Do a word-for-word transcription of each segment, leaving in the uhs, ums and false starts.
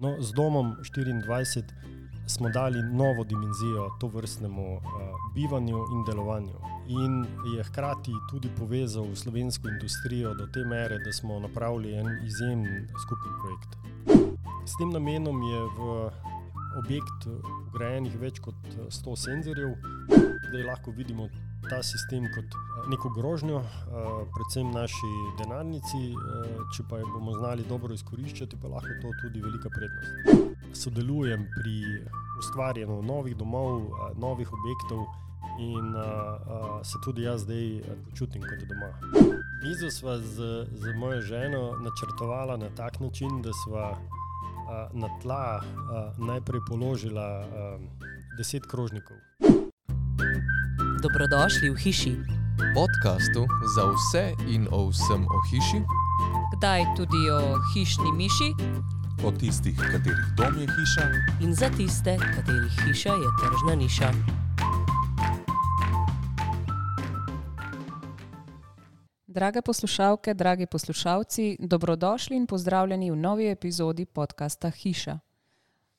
No, z domom štiriindvajset smo dali novo dimenzijo tovrstnemu uh, bivanju in delovanju. In je hkrati tudi povezal slovensko industrijo do te mere, da smo napravili en izjemen skupen projekt. S tem namenom je v objekt vgrajenih več kot sto senzorjev. Zdaj lahko vidimo ta sistem kot neko grožnjo, predvsem naši denarnici, če pa jo bomo znali dobro izkoriščati, pa lahko to tudi velika prednost. Sodelujem pri ustvarjanju novih domov, novih objektov in se tudi jaz zdaj počutim kot doma. Mizo sva z, z mojo ženo načrtovala na tak način, da sva na tla najprej položila deset krožnikov. Dobrodošli v hiši. Podcastu za vse in o vsem o hiši. Kdaj tudi o hišni miši. O tistih, katerih dom je hiša. In za tiste, katerih hiša je tržna niša. Drage poslušalke, dragi poslušalci, dobrodošli in pozdravljeni v novi epizodi podcasta Hiša.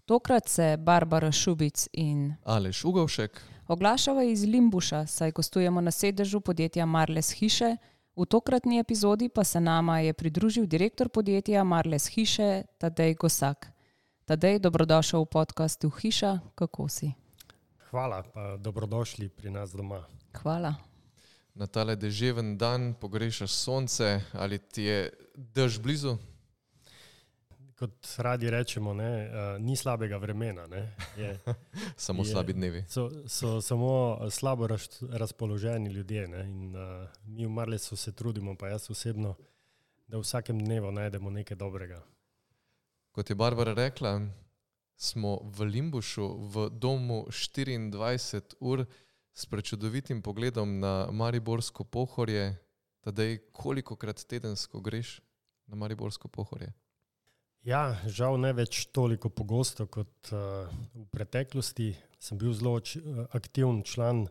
Tokrat se Barbara Šubic in Aleš Ugovšek oglašava iz Limbuša, saj gostujemo na sedežu podjetja Marles Hiše. V tokratni epizodi pa se nama je pridružil direktor podjetja Marles Hiše, Tadej Gosak. Tadej, dobrodošel v podcastu Hiša, kako si? Hvala, pa dobrodošli pri nas doma. Hvala. Na tale deževen dan pogrešaš sonce, ali ti je dež blizu? Kot radi rečemo, ne, uh, ni slabega vremena. Ne, je, samo je, slabi dnevi. So, so samo slabo raz, razpoloženi ljudje. Ne, in, uh, mi v Marlesu se trudimo, pa jaz osebno, da v vsakem dnevu najdemo nekaj dobrega. Kot je Barbara rekla, smo v Limbušu v domu štiriindvajset ur s prečudovitim pogledom na Mariborsko Pohorje. Tadej, kolikokrat tedensko greš na Mariborsko Pohorje? Ja, žal ne več toliko pogosto kot uh, v preteklosti. Sem bil zelo č- aktiven član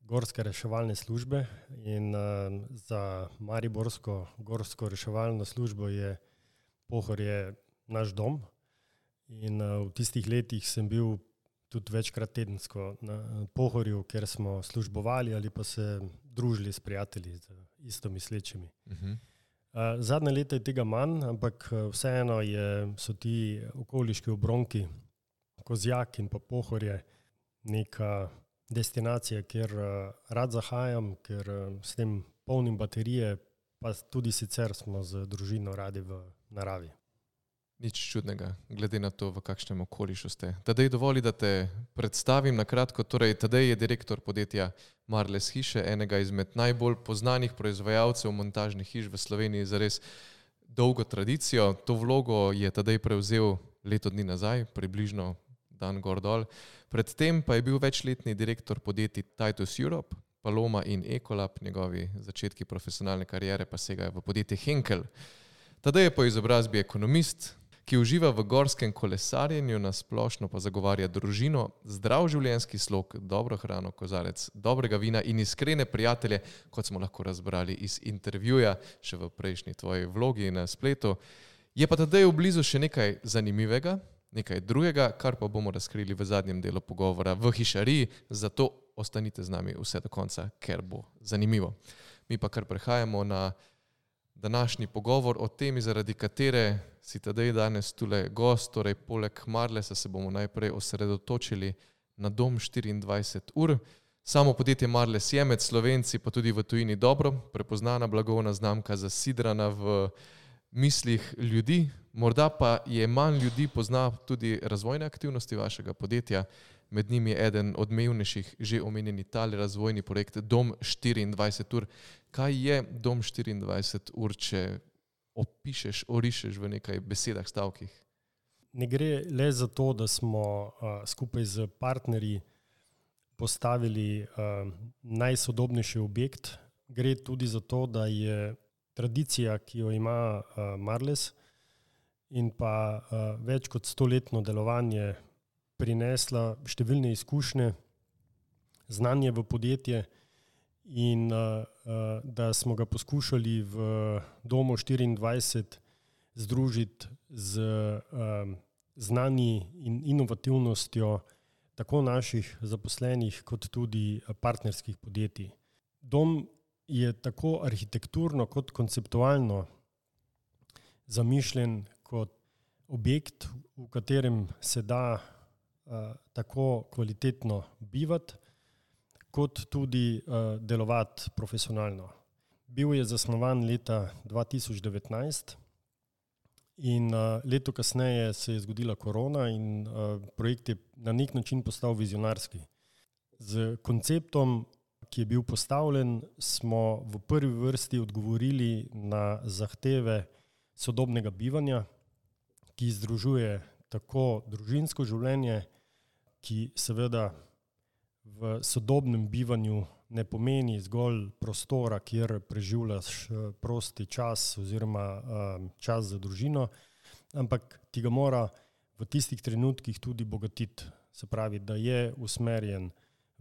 gorske reševalne službe in uh, za Mariborsko gorsko reševalno službo je Pohorje naš dom. In uh, v tistih letih sem bil tudi večkrat tedensko na Pohorju, ker smo službovali ali pa se družili s prijatelji, z isto mislečimi. Uh-huh. Zadnje leta je tega manj, ampak vseeno je, so ti okoliški obronki, Kozjak in pa Pohorje, neka destinacija, kjer rad zahajam, ker s tem polnim baterije, pa tudi sicer smo z družino radi v naravi. Nič čudnega, glede na to, v kakšnem okolišu ste. Tadej, dovoli, da te predstavim na kratko. Torej, Tadej je direktor podjetja Marles Hiše, enega izmed najbolj poznanih proizvajalcev montažnih hiš v Sloveniji za res dolgo tradicijo. To vlogo je Tadej prevzel leto dni nazaj, približno dan gor dol. Predtem pa je bil večletni direktor podjetij Titus Europe, Paloma in Ecolab, njegovi začetki profesionalne kariere pa segajo v podjetje Henkel. Tadej je po izobrazbi ekonomist, ki uživa v gorskem kolesarjenju, na splošno pa zagovarja družino, zdrav življenjski slog, dobro hrano, kozarec dobrega vina in iskrene prijatelje, kot smo lahko razbrali iz intervjuja še v prejšnji tvoji vlogi na spletu. Je pa Tadej v blizu še nekaj zanimivega, nekaj drugega, kar pa bomo razkrili v zadnjem delu pogovora v Hišariji, zato ostanite z nami vse do konca, ker bo zanimivo. Mi pa kar prehajamo na današnji pogovor o temi, zaradi katere si Tadej danes tule gost, torej poleg Marlesa se bomo najprej osredotočili na dom štiriindvajset ur. Samo podjetje Marles je med Slovenci, pa tudi v tujini dobro prepoznana blagovna znamka, zasidrana v mislih ljudi. Morda pa je manj ljudi pozna tudi razvojne aktivnosti vašega podjetja. Med njimi je eden odmevnejših že omenjeni tali razvojni projekt Dom štiriindvajset ur. Kaj je Dom štiriindvajset ur, če opišeš, orišeš v nekaj besedah, stavkih? Ne gre le za to, da smo uh, skupaj z partnerji postavili uh, najsodobnejši objekt. Gre tudi za to, da je tradicija, ki jo ima uh, Marles in pa uh, več kot stoletno delovanje prinesla številne izkušnje, znanje v podjetje in uh, uh, da smo ga poskušali v domu štiriindvajset združiti z uh, znani in inovativnostjo tako naših zaposlenih kot tudi partnerskih podjetij. Dom je tako arhitekturno kot konceptualno zamišljen kot objekt, v katerem se da uh, tako kvalitetno bivati, kot tudi uh, delovati profesionalno. Bil je zasnovan leta dva tisoč devetnajst in uh, leto kasneje se je zgodila korona in uh, projekt je na nek način postal vizionarski. Z konceptom, ki je bil postavljen, smo v prvi vrsti odgovorili na zahteve sodobnega bivanja, ki združuje tako družinsko življenje, ki seveda v sodobnem bivanju ne pomeni zgolj prostora, kjer preživljaš prosti čas oziroma čas za družino, ampak ti ga mora v tistih trenutkih tudi bogatiti. Se pravi, da je usmerjen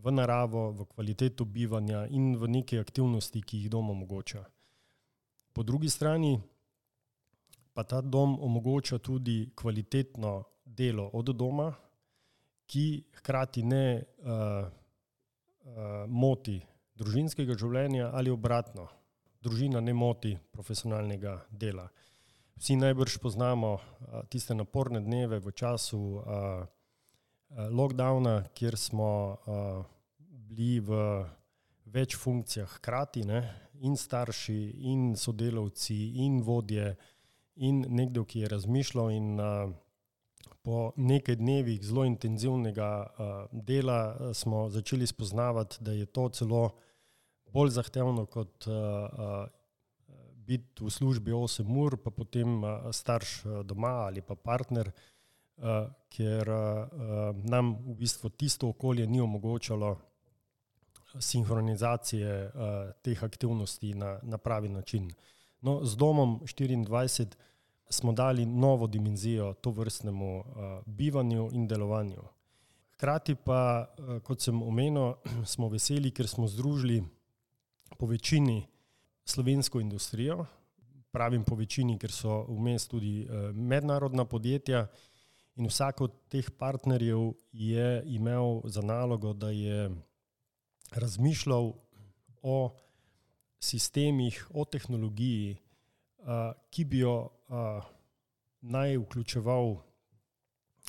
v naravo, v kvaliteto bivanja in v neke aktivnosti, ki jih dom omogoča. Po drugi strani pa ta dom omogoča tudi kvalitetno delo od doma, ki hkrati ne uh, uh, moti družinskega življenja ali obratno. Družina ne moti profesionalnega dela. Vsi najbrž poznamo uh, tiste naporne dneve v času uh, uh, lockdowna, kjer smo uh, bili v več funkcijah hkrati, ne? In starši, in sodelavci, in vodje, in nekdo, ki je razmišljal in uh, po nekaj dnevih zelo intenzivnega uh, dela uh, smo začeli spoznavati, da je to celo bolj zahtevno kot uh, uh, biti v službi osem ur, pa potem uh, starš uh, doma ali pa partner, uh, ker uh, nam v bistvu tisto okolje ni omogočalo sinhronizacije uh, teh aktivnosti na, na pravi način. No, z domom štiriindvajset smo dali novo dimenzijo tovrstnemu uh, bivanju in delovanju. Hkrati pa, uh, kot sem omenil, smo veseli, ker smo združili po večini slovensko industrijo, pravim po večini, ker so vmes tudi uh, mednarodna podjetja in vsak od teh partnerjev je imel za nalogo, da je razmišljal o sistemih, o tehnologiji, uh, ki bi jo uh, naj vključeval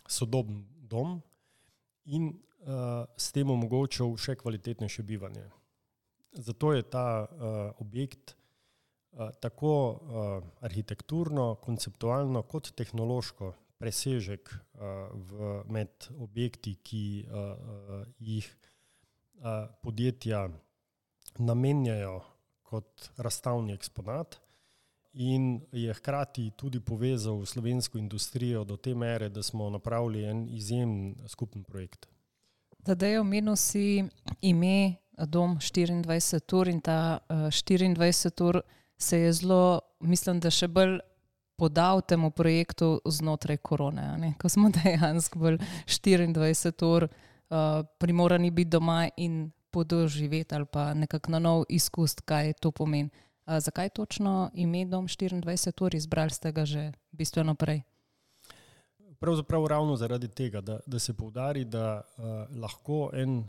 sodoben dom in uh, s tem omogočal še kvalitetnejše bivanje. Zato je ta uh, objekt uh, tako uh, arhitekturno, konceptualno kot tehnološko presežek uh, v, med objekti, ki uh, uh, jih uh, podjetja namenjajo kot razstavni eksponat in je hkrati tudi povezal slovensko industrijo do te mere, da smo napravili en izjemen skupen projekt. Tadej, omenil si ime Dom štiriindvajset ur in ta uh, štiriindvajset ur se je zelo, mislim, da še bolj podal temu projektu znotraj korone, ne? Ko smo dejansko bolj štiriindvajset ur uh, primorani biti doma in podoživeti ali pa nekako na nov izkust, kaj to pomeni. A zakaj točno ime Dom štiriindvajset ur, izbrali ste ga že bistveno prej? Pravzaprav ravno zaradi tega, da, da se poudari, da uh, lahko en uh,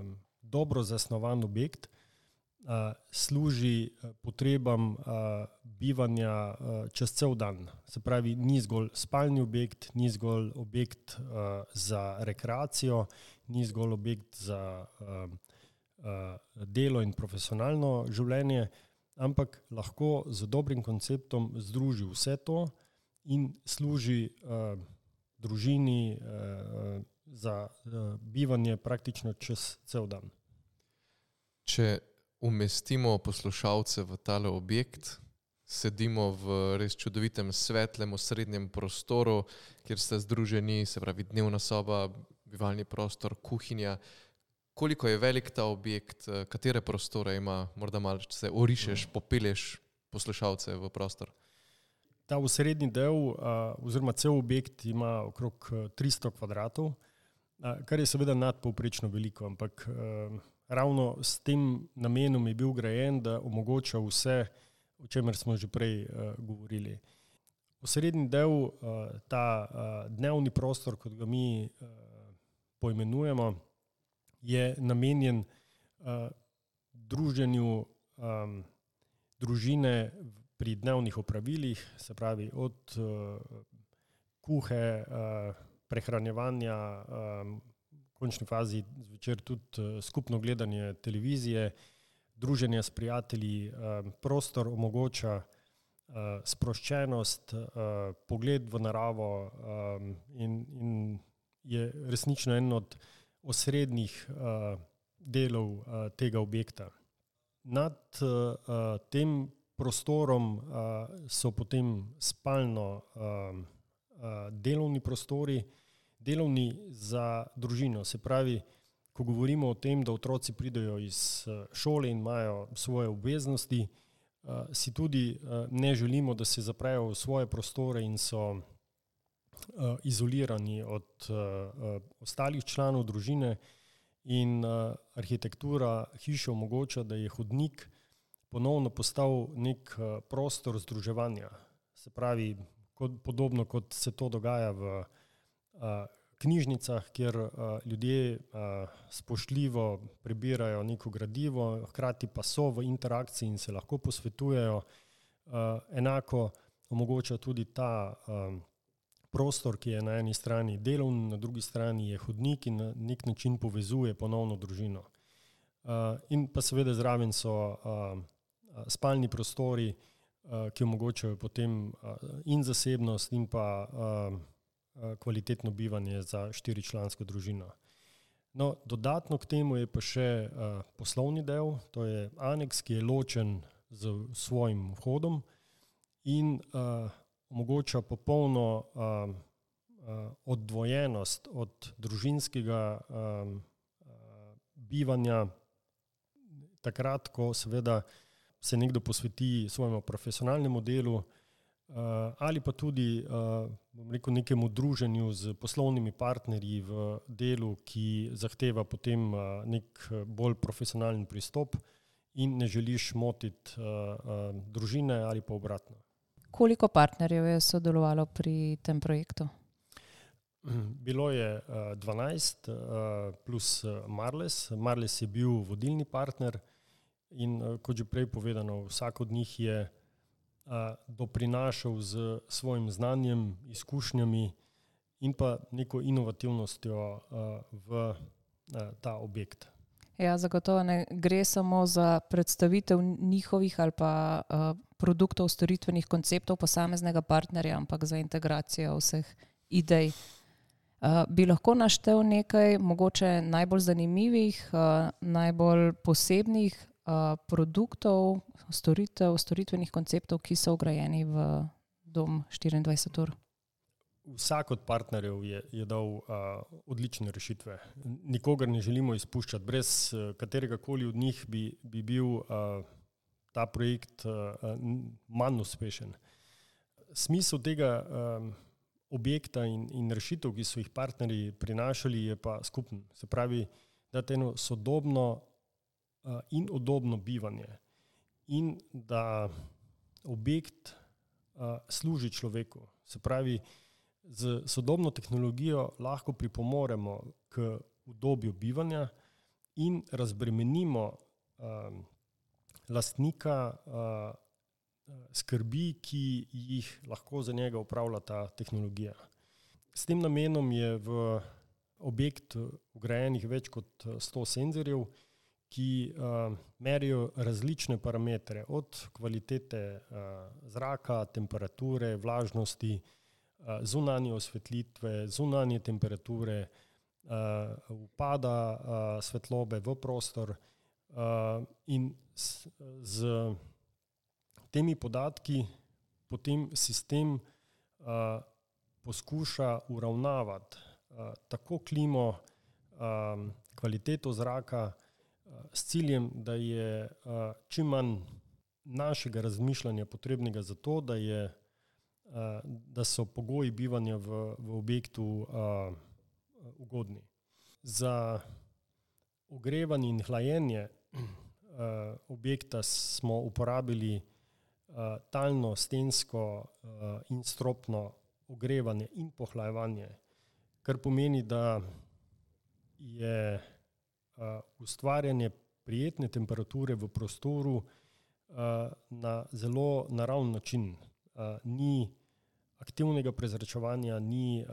um, dobro zasnovan objekt uh, služi potrebam uh, bivanja uh, čez cel dan. Se pravi, ni zgolj spalni objekt, ni zgolj objekt uh, za rekreacijo, ni zgolj objekt za uh, uh, delo in profesionalno življenje, ampak lahko z dobrim konceptom združi vse to in služi uh, družini uh, za uh, bivanje praktično čez cel dan. Če umestimo poslušalce v tale objekt, sedimo v res čudovitem svetlem osrednjem prostoru, kjer ste združeni, se pravi dnevna soba, bivalni prostor, kuhinja. Koliko je velik ta objekt, katere prostore ima, morda malo se orišeš, popelješ poslušalce v prostor? Ta osrednji del uh, oziroma cel objekt ima okrog tristo kvadratov, uh, kar je seveda nadpovprečno veliko, ampak uh, ravno s tem namenom je bil grajen, da omogoča vse, o čemer smo že prej uh, govorili. osrednji del, ta dnevni prostor, kot ga mi poimenujemo, je namenjen druženju družine pri dnevnih opravilih, se pravi od kuhe, prehranjevanja, v končni fazi zvečer tudi skupno gledanje televizije, druženje s prijatelji, prostor omogoča sproščenost, pogled v naravo in, in je resnično en od osrednjih delov tega objekta. Nad tem prostorom so potem spalno delovni prostori, delovni za družino, se pravi, ko govorimo o tem, da otroci pridejo iz šole in imajo svoje obveznosti, si tudi ne želimo, da se zaprejo v svoje prostore in so izolirani od ostalih članov družine in arhitektura hiše omogoča, da je hodnik ponovno postal nek prostor združevanja. Se pravi, kot, podobno kot se to dogaja v knjižnicah, kjer ljudje spoštljivo prebirajo neko gradivo, hkrati pa so v interakciji in se lahko posvetujejo. Enako omogoča tudi ta prostor, ki je na eni strani delovni, na drugi strani je hodnik in na nek način povezuje ponovno družino. In pa seveda zraven so spalni prostori, ki omogočajo potem in zasebnost in pa kvalitetno bivanje za štiričlansko družino. No, dodatno k temu je pa še poslovni del, to je aneks, ki je ločen z svojim vhodom in omogoča popolno oddvojenost od družinskega bivanja takrat, ko seveda se nekdo posveti svojemu profesionalnemu delu ali pa tudi, bom rekel, nekemu druženju z poslovnimi partnerji v delu, ki zahteva potem nek bolj profesionalen pristop in ne želiš motiti družine ali pa obratno. Koliko partnerjev je sodelovalo pri tem projektu? Bilo je dvanajst plus Marles. Marles je bil vodilni partner in kot že prej povedano, vsak od njih je doprinašal z svojim znanjem, izkušnjami in pa neko inovativnostjo v ta objekt. Ja, zagotovo ne gre samo za predstavitev njihovih ali pa produktov, storitvenih konceptov posameznega partnerja, ampak za integracijo vseh idej. Bi lahko naštel nekaj mogoče najbolj zanimivih, najbolj posebnih produktov, storitev, storitvenih konceptov, ki so vgrajeni v Dom štiriindvajset ur? Vsak od partnerjev je, je dal uh, odlične rešitve. Nikogar ne želimo izpuščati. Brez uh, katerega koli od njih bi, bi bil uh, ta projekt uh, manj uspešen. Smisel tega um, objekta in, in rešitev, ki so jih partnerji prinašali, je pa skupen. Se pravi, da je eno sodobno uh, in udobno bivanje in da objekt uh, služi človeku. Se pravi, z sodobno tehnologijo lahko pripomoremo k udobju bivanja in razbremenimo um, lastnika uh, skrbi, ki jih lahko za njega upravlja ta tehnologija. S tem namenom je v objekt vgrajenih več kot sto senzorjev, ki uh, merijo različne parametre, od kvalitete uh, zraka, temperature, vlažnosti, zunanje osvetlitve, zunanje temperature, upada svetlobe v prostor in z temi podatki potem sistem poskuša uravnavati tako klimo, kvaliteto zraka s ciljem, da je čim manj našega razmišljanja potrebnega za to, da je da so pogoji bivanja v, v objektu uh, ugodni. Za ogrevanje in hlajenje uh, objekta smo uporabili uh, talno, stensko in stropno ogrevanje in pohlajevanje, kar pomeni, da je ustvarjanje prijetne temperature v prostoru na zelo naravn način. Ni aktivnega prezračevanja, ni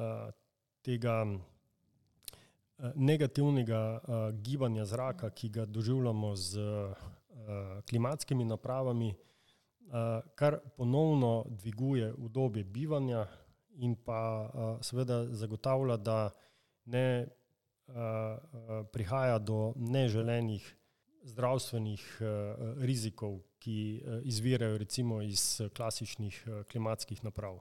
tega negativnega gibanja zraka, ki ga doživljamo z klimatskimi napravami, kar ponovno dviguje udobje bivanja in pa seveda zagotavlja, da ne prihaja do neželenih zdravstvenih rizikov, ki izvirajo recimo iz klasičnih klimatskih naprav.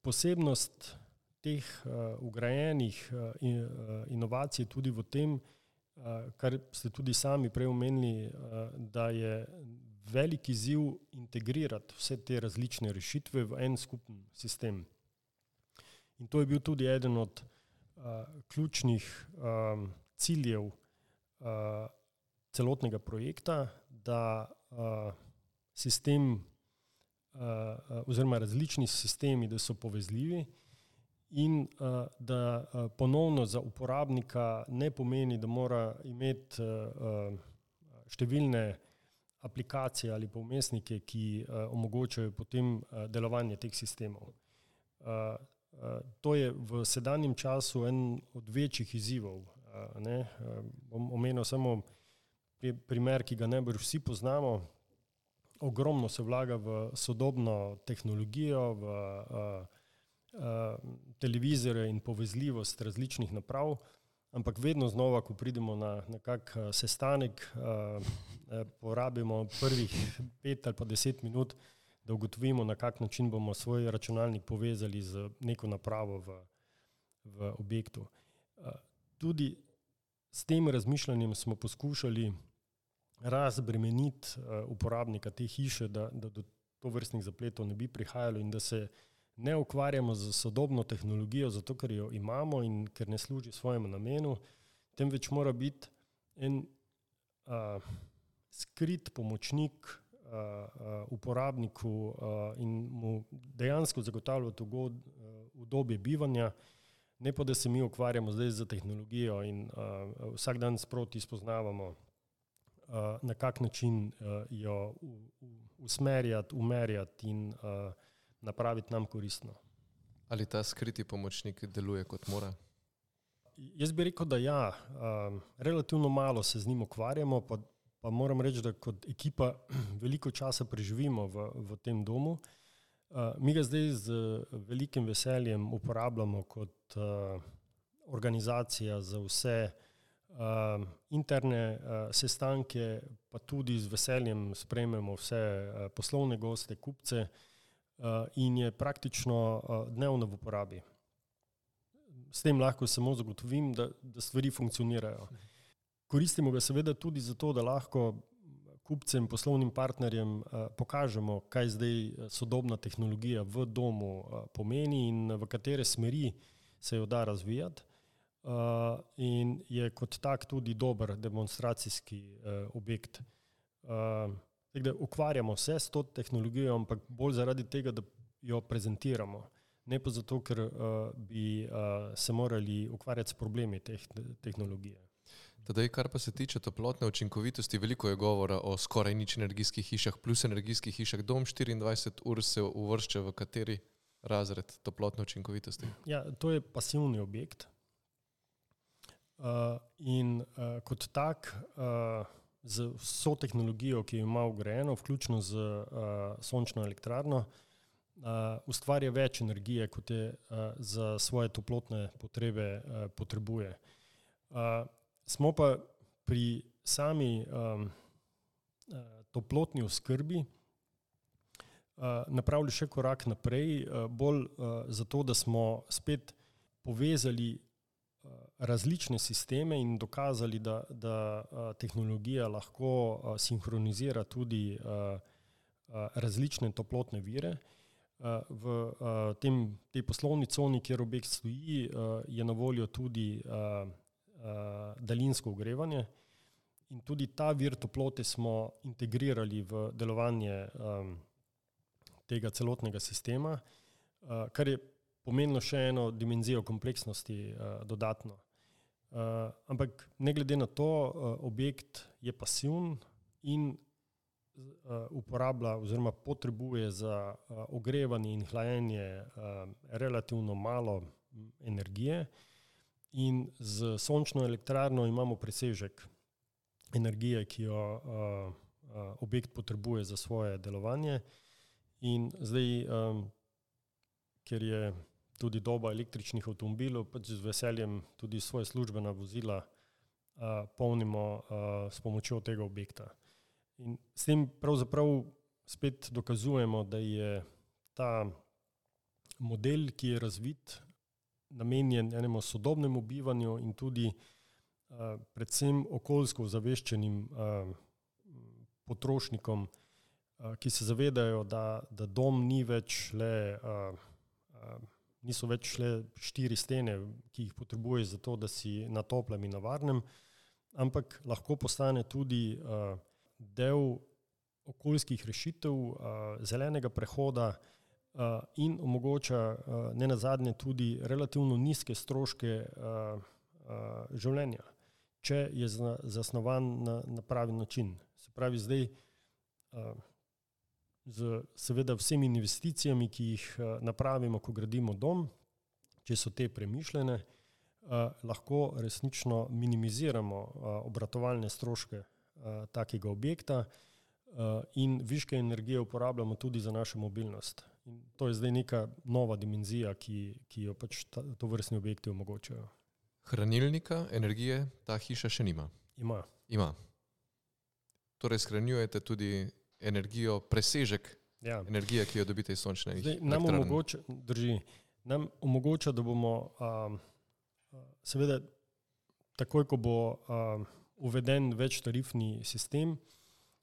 Posebnost teh vgrajenih inovacij tudi v tem, kar ste tudi sami prej omenili, da je velik izziv integrirati vse te različne rešitve v en skupen sistem. In to je bil tudi eden od ključnih ciljev celotnega projekta, da sistem oziroma različni sistemi, da so povezljivi in da ponovno za uporabnika ne pomeni, da mora imeti številne aplikacije ali pa vmesnike, ki omogočajo potem delovanje teh sistemov. To je v sedanjem času en od večjih izzivov. Ne? Bom omenil samo primer, ki ga najbolj vsi poznamo. Ogromno se vlaga v sodobno tehnologijo, v televizore in povezljivost različnih naprav, ampak vedno znova, ko pridemo na, na kak sestanek, porabimo prvih pet ali pa deset minut, da ugotovimo, na kak način bomo svoj računalnik povezali z neko napravo v, v objektu. Tudi s tem razmišljanjem smo poskušali razbremeniti uporabnika te hiše, da, da do tovrstnih zapletov ne bi prihajalo in da se ne ukvarjamo z sodobno tehnologijo, zato ker jo imamo in ker ne služi svojemu namenu, temveč mora biti en a, skrit pomočnik a, a, uporabniku a, in mu dejansko zagotavljati ugod, a, udobje bivanja, ne pa da se mi ukvarjamo zdaj z tehnologijo in a, vsak dan sproti spoznavamo, a, na kak način a, jo u, u, usmerjati, umerjati in a, napraviti nam koristno. Ali ta skriti pomočnik deluje kot mora? Jaz bi rekel, da ja. Um, relativno malo se z njim ukvarjamo, pa, pa moram reči, da kot ekipa veliko časa preživimo v, v tem domu. Uh, mi ga zdaj z velikim veseljem uporabljamo kot uh, organizacija za vse uh, interne uh, sestanke, pa tudi z veseljem sprejmemo vse uh, poslovne goste, kupce, in je praktično dnevno v uporabi. S tem lahko samo zagotovim, da, da stvari funkcionirajo. Koristimo ga seveda tudi zato, da lahko kupcem, poslovnim partnerjem pokažemo, kaj zdaj sodobna tehnologija v domu pomeni in v katere smeri se jo da razvijati. In je kot tak tudi dober demonstracijski objekt. Da ukvarjamo se s to tehnologijo, ampak bolj zaradi tega, da jo prezentiramo. Ne pa zato, ker uh, bi uh, se morali ukvarjati s problemi teh tehnologije. Tadej, kar pa se tiče toplotne učinkovitosti, veliko je govora o skoraj nič energijskih hišah plus energijskih hišah. Dom štiriindvajset ur se uvršča v kateri razred toplotne učinkovitosti? Ja, to je pasivni objekt. Uh, in uh, kot tak uh, z vso tehnologijo, ki jo ima vgrajeno, vključno z uh, sončno elektrarno, uh, ustvarja več energije, kot je uh, za svoje toplotne potrebe uh, potrebuje. Uh, smo pa pri sami um, uh, toplotni oskrbi uh, napravili še korak naprej, uh, bolj uh, zato, da smo spet povezali različne sisteme in dokazali, da, da tehnologija lahko sinhronizira tudi različne toplotne vire. V tem, tej poslovni coni, kjer objekt stoji, je na voljo tudi daljinsko ogrevanje in tudi ta vir toplote smo integrirali v delovanje tega celotnega sistema, uh, kar je pomenilo še eno dimenzijo kompleksnosti uh, dodatno. Uh, ampak ne glede na to, uh, objekt je pasivn in uh, uporablja oziroma potrebuje za uh, ogrevanje in hlajenje uh, relativno malo energije in z sončno elektrarno imamo presežek energije, ki jo uh, uh, objekt potrebuje za svoje delovanje. In zdaj, um, ker je tudi doba električnih avtomobilov, pač z veseljem tudi svoje službena vozila uh, polnimo uh, s pomočjo tega objekta. In s tem pravzaprav spet dokazujemo, da je ta model, ki je razvit, namenjen enemu sodobnemu bivanju in tudi uh, predvsem okoljsko ozaveščenim uh, potrošnikom, uh, ki se zavedajo, da, da dom ni več le, uh, uh, niso več le štiri stene, ki jih potrebuješ za to, da si na toplem in na varnem, ampak lahko postane tudi uh, del okoljskih rešitev, uh, zelenega prehoda, Uh, in omogoča uh, ne nazadnje tudi relativno nizke stroške uh, uh, življenja, če je zna, zasnovan na, na pravi način. Se pravi, zdaj uh, z seveda vsemi investicijami, ki jih uh, napravimo, ko gradimo dom, če so te premišljene, uh, lahko resnično minimiziramo uh, obratovalne stroške uh, takega objekta uh, in viške energije uporabljamo tudi za našo mobilnost. In to je zdaj neka nova dimenzija, ki, ki jo pač ta, to vrstni objekti omogočajo. Hranilnika energije ta hiša še nima? Ima. Ima. Torej shranjujete tudi energijo, presežek ja. energije, ki jo dobite iz sončne elektrarne? Nam omogoča, drži, nam omogoča, da bomo um, seveda takoj, ko bo um, uveden večtarifni sistem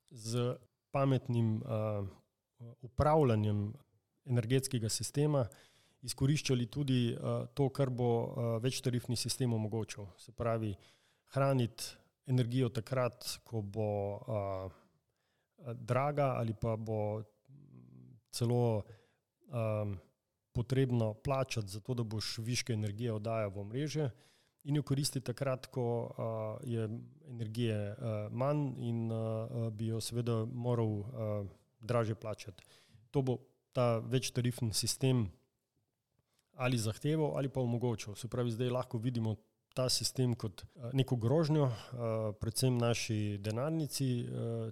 z pametnim um, upravljanjem energetskega sistema, izkoriščali tudi uh, to, kar bo uh, večtarifni sistem omogočil. Se pravi, hraniti energijo takrat, ko bo uh, draga ali pa bo celo um, potrebno plačati za to, da boš viške energije oddajal v omrežje in jo koristiti takrat, ko uh, je energije uh, manj in uh, bi jo seveda moral uh, dražje plačati. To bo ta večtarifni sistem ali zahteval ali pa omogočil. Se pravi, zdaj lahko vidimo ta sistem kot neko grožnjo, predvsem naši denarnici,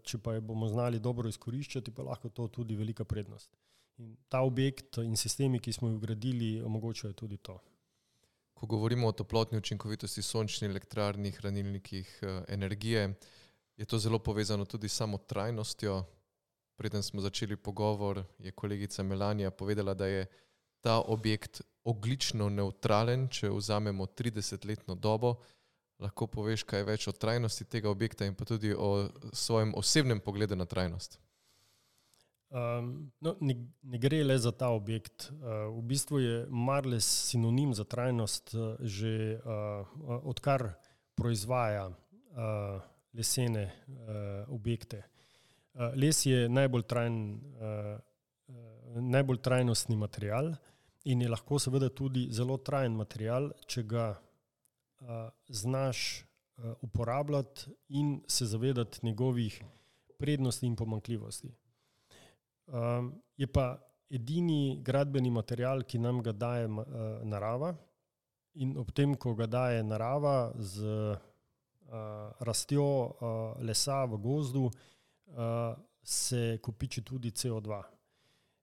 če pa jo bomo znali dobro izkoriščati, pa lahko to tudi velika prednost. In ta objekt in sistemi, ki smo jih vgradili, omogočajo tudi to. Ko govorimo o toplotni učinkovitosti, sončni elektrarni, hranilnikih energije, je to zelo povezano tudi s samo trajnostjo. Preden smo začeli pogovor, je kolegica Melanija povedala, da je ta objekt ogljično nevtralen, če vzamemo tridesetletno dobo. Lahko poveš kaj več o trajnosti tega objekta in pa tudi o svojem osebnem pogledu na trajnost? Um, no, ne, ne gre le za ta objekt. Uh, v bistvu je Marles sinonim za trajnost uh, že uh, odkar proizvaja uh, lesene uh, objekte. Les je najbolj, trajn, uh, uh, najbolj trajnostni material in je lahko seveda tudi zelo trajen material, če ga uh, znaš uh, uporabljati in se zavedati njegovih prednosti in pomanjkljivosti. Um, je pa edini gradbeni material, ki nam ga daje uh, narava in ob tem, ko ga daje narava z uh, rastjo uh, lesa v gozdu, Uh, se kopiči tudi C O dva.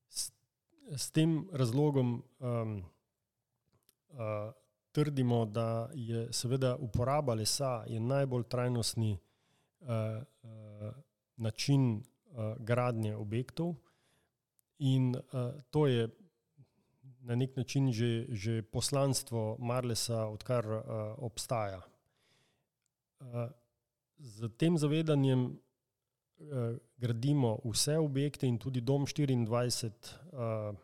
S, s tem razlogom um, uh, trdimo, da je seveda uporaba lesa je najbolj trajnostni uh, uh, način uh, gradnje objektov in uh, to je na nek način že, že poslanstvo Marlesa, odkar uh, obstaja. Uh, z tem zavedanjem uh, gradimo vse objekte in tudi Dom štiriindvajset uh,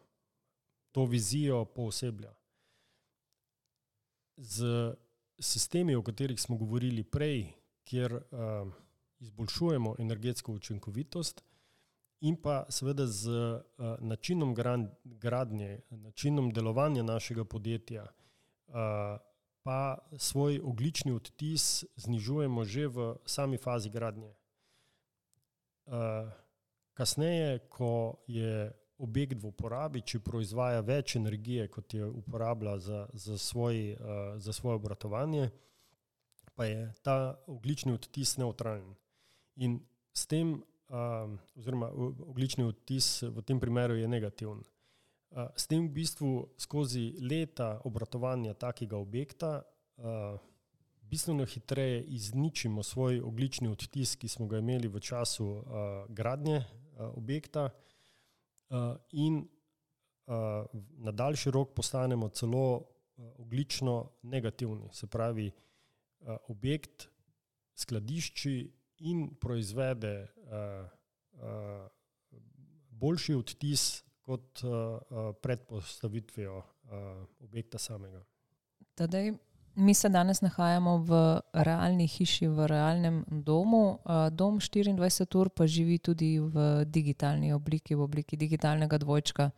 to vizijo pooseblja. Z sistemi, o katerih smo govorili prej, kjer uh, izboljšujemo energetsko učinkovitost, in pa seveda z uh, načinom gradnje, načinom delovanja našega podjetja, uh, pa svoj ogljični odtis znižujemo že v sami fazi gradnje. Uh, kasneje, ko je objekt v uporabi, če proizvaja več energije, kot je uporablja za, za, svoj, uh, za svoje obratovanje, pa je ta ogljični odtis nevtralen. In s tem, uh, oziroma ogljični odtis v tem primeru je negativen. Uh, s tem v bistvu skozi leta obratovanja takega objekta uh, bistveno hitreje izničimo svoj ogljični odtis, ki smo ga imeli v času uh, gradnje uh, objekta, Uh, in uh, na daljši rok postanemo celo uh, ogljično negativni. Se pravi, uh, objekt skladišči in proizvede uh, uh, boljši odtis kot uh, uh, pred postavitvijo uh, objekta samega. Tadej, mi se danes nahajamo v realni hiši, v realnem domu. Dom štiriindvajset ur pa živi tudi v digitalni obliki, v obliki digitalnega dvojčka.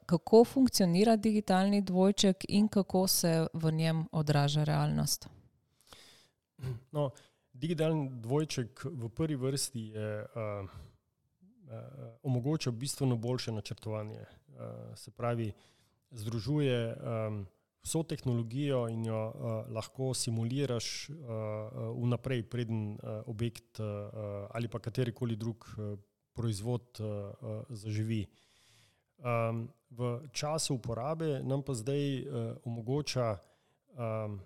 Kako funkcionira digitalni dvojček in kako se v njem odraža realnost? No, digitalni dvojček v prvi vrsti je uh, uh, omogoča bistveno boljše načrtovanje. Uh, se pravi, združuje um, vso tehnologijo in jo uh, lahko simuliraš uh, vnaprej, preden uh, objekt uh, ali pa katerikoli drug uh, proizvod uh, uh, zaživi. Um, v času uporabe nam pa zdaj uh, omogoča um,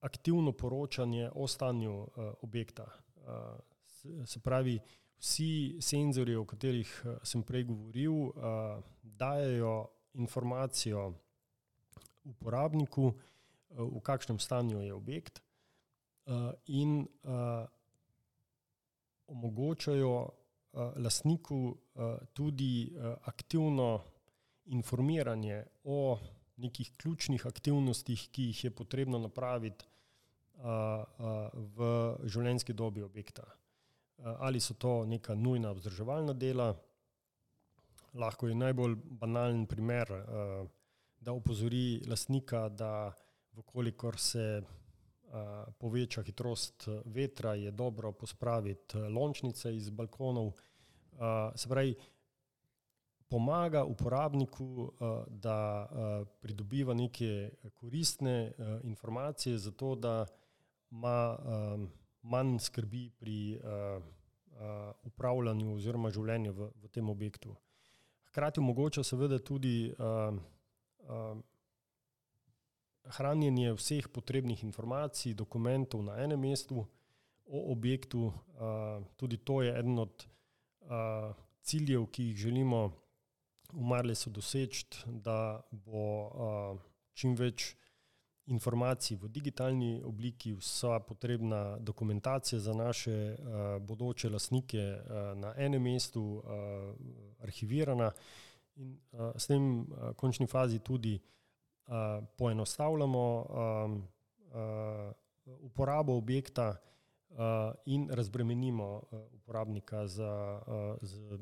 aktivno poročanje o stanju uh, objekta. Uh, se, se pravi, vsi senzorji, o katerih uh, sem prej govoril, uh, dajejo informacijo uporabniku, v kakšnem stanju je objekt, in omogočajo lastniku tudi aktivno informiranje o nekih ključnih aktivnostih, ki jih je potrebno napraviti v življenjski dobi objekta. Ali so to neka nujna vzdrževalna dela, lahko je najbolj banalen primer, da opozori lastnika, da vkolikor se uh, poveča hitrost vetra, je dobro pospraviti lončnice iz balkonov. Uh, se pravi, pomaga uporabniku, uh, da uh, pridobiva neke koristne uh, informacije za to, da ima um, manj skrbi pri uh, uh, upravljanju oziroma življenju v, v tem objektu. Hkrati omogoča seveda tudi uh, Uh, hranjenje vseh potrebnih informacij, dokumentov na enem mestu o objektu. Uh, tudi to je eden od uh, ciljev, ki jih želimo v Marlesu doseči, da bo uh, čim več informacij v digitalni obliki, vsa potrebna dokumentacija za naše uh, bodoče lastnike uh, na enem mestu uh, arhivirana. In uh, s tem uh, končni fazi tudi uh, poenostavljamo um, uh, uporabo objekta uh, in razbremenimo uh, uporabnika za, uh, z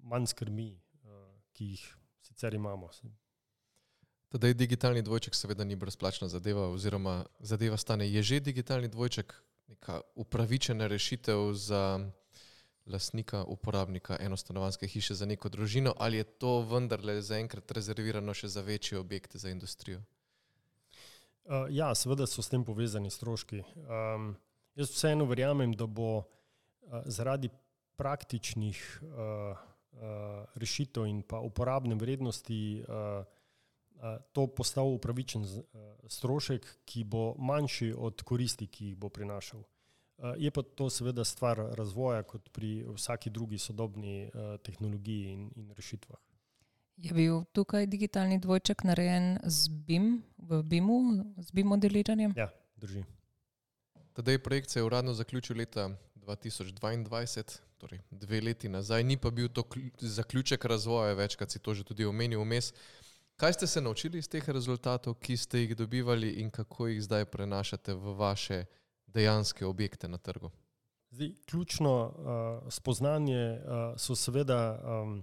manj skrbi, uh, ki jih sicer imamo. Tadej digitalni dvojček seveda ni brezplačna zadeva oziroma zadeva stane. Je že digitalni dvojček neka upravičena rešitev za lastnika, uporabnika enostanovanjske hiše za neko družino, ali je to vendarle zaenkrat rezervirano še za večje objekte, za industrijo? Uh, ja, seveda so s tem povezani stroški. Um, jaz vseeno verjamem, da bo uh, zaradi praktičnih uh, uh, rešitev in pa uporabne vrednosti uh, uh, to postal upravičen uh, strošek, ki bo manjši od koristi, ki jih bo prinašal. Je pa to seveda stvar razvoja, kot pri vsaki drugi sodobni uh, tehnologiji in, in rešitvah. Je bil tukaj digitalni dvojček narejen z B I M, v B I M-u, z B I M modeliranjem? Ja, drži. Tadej projekt se je uradno zaključil leta dva tisoč dvaindvajset, torej dve leti nazaj, ni pa bil to zaključek razvoja, večkrat si to že tudi omenil vmes. Kaj ste se naučili iz teh rezultatov, ki ste jih dobivali in kako jih zdaj prenašate v vaše dejanske objekte na trgu? Zdaj, ključno uh, spoznanje uh, so seveda um,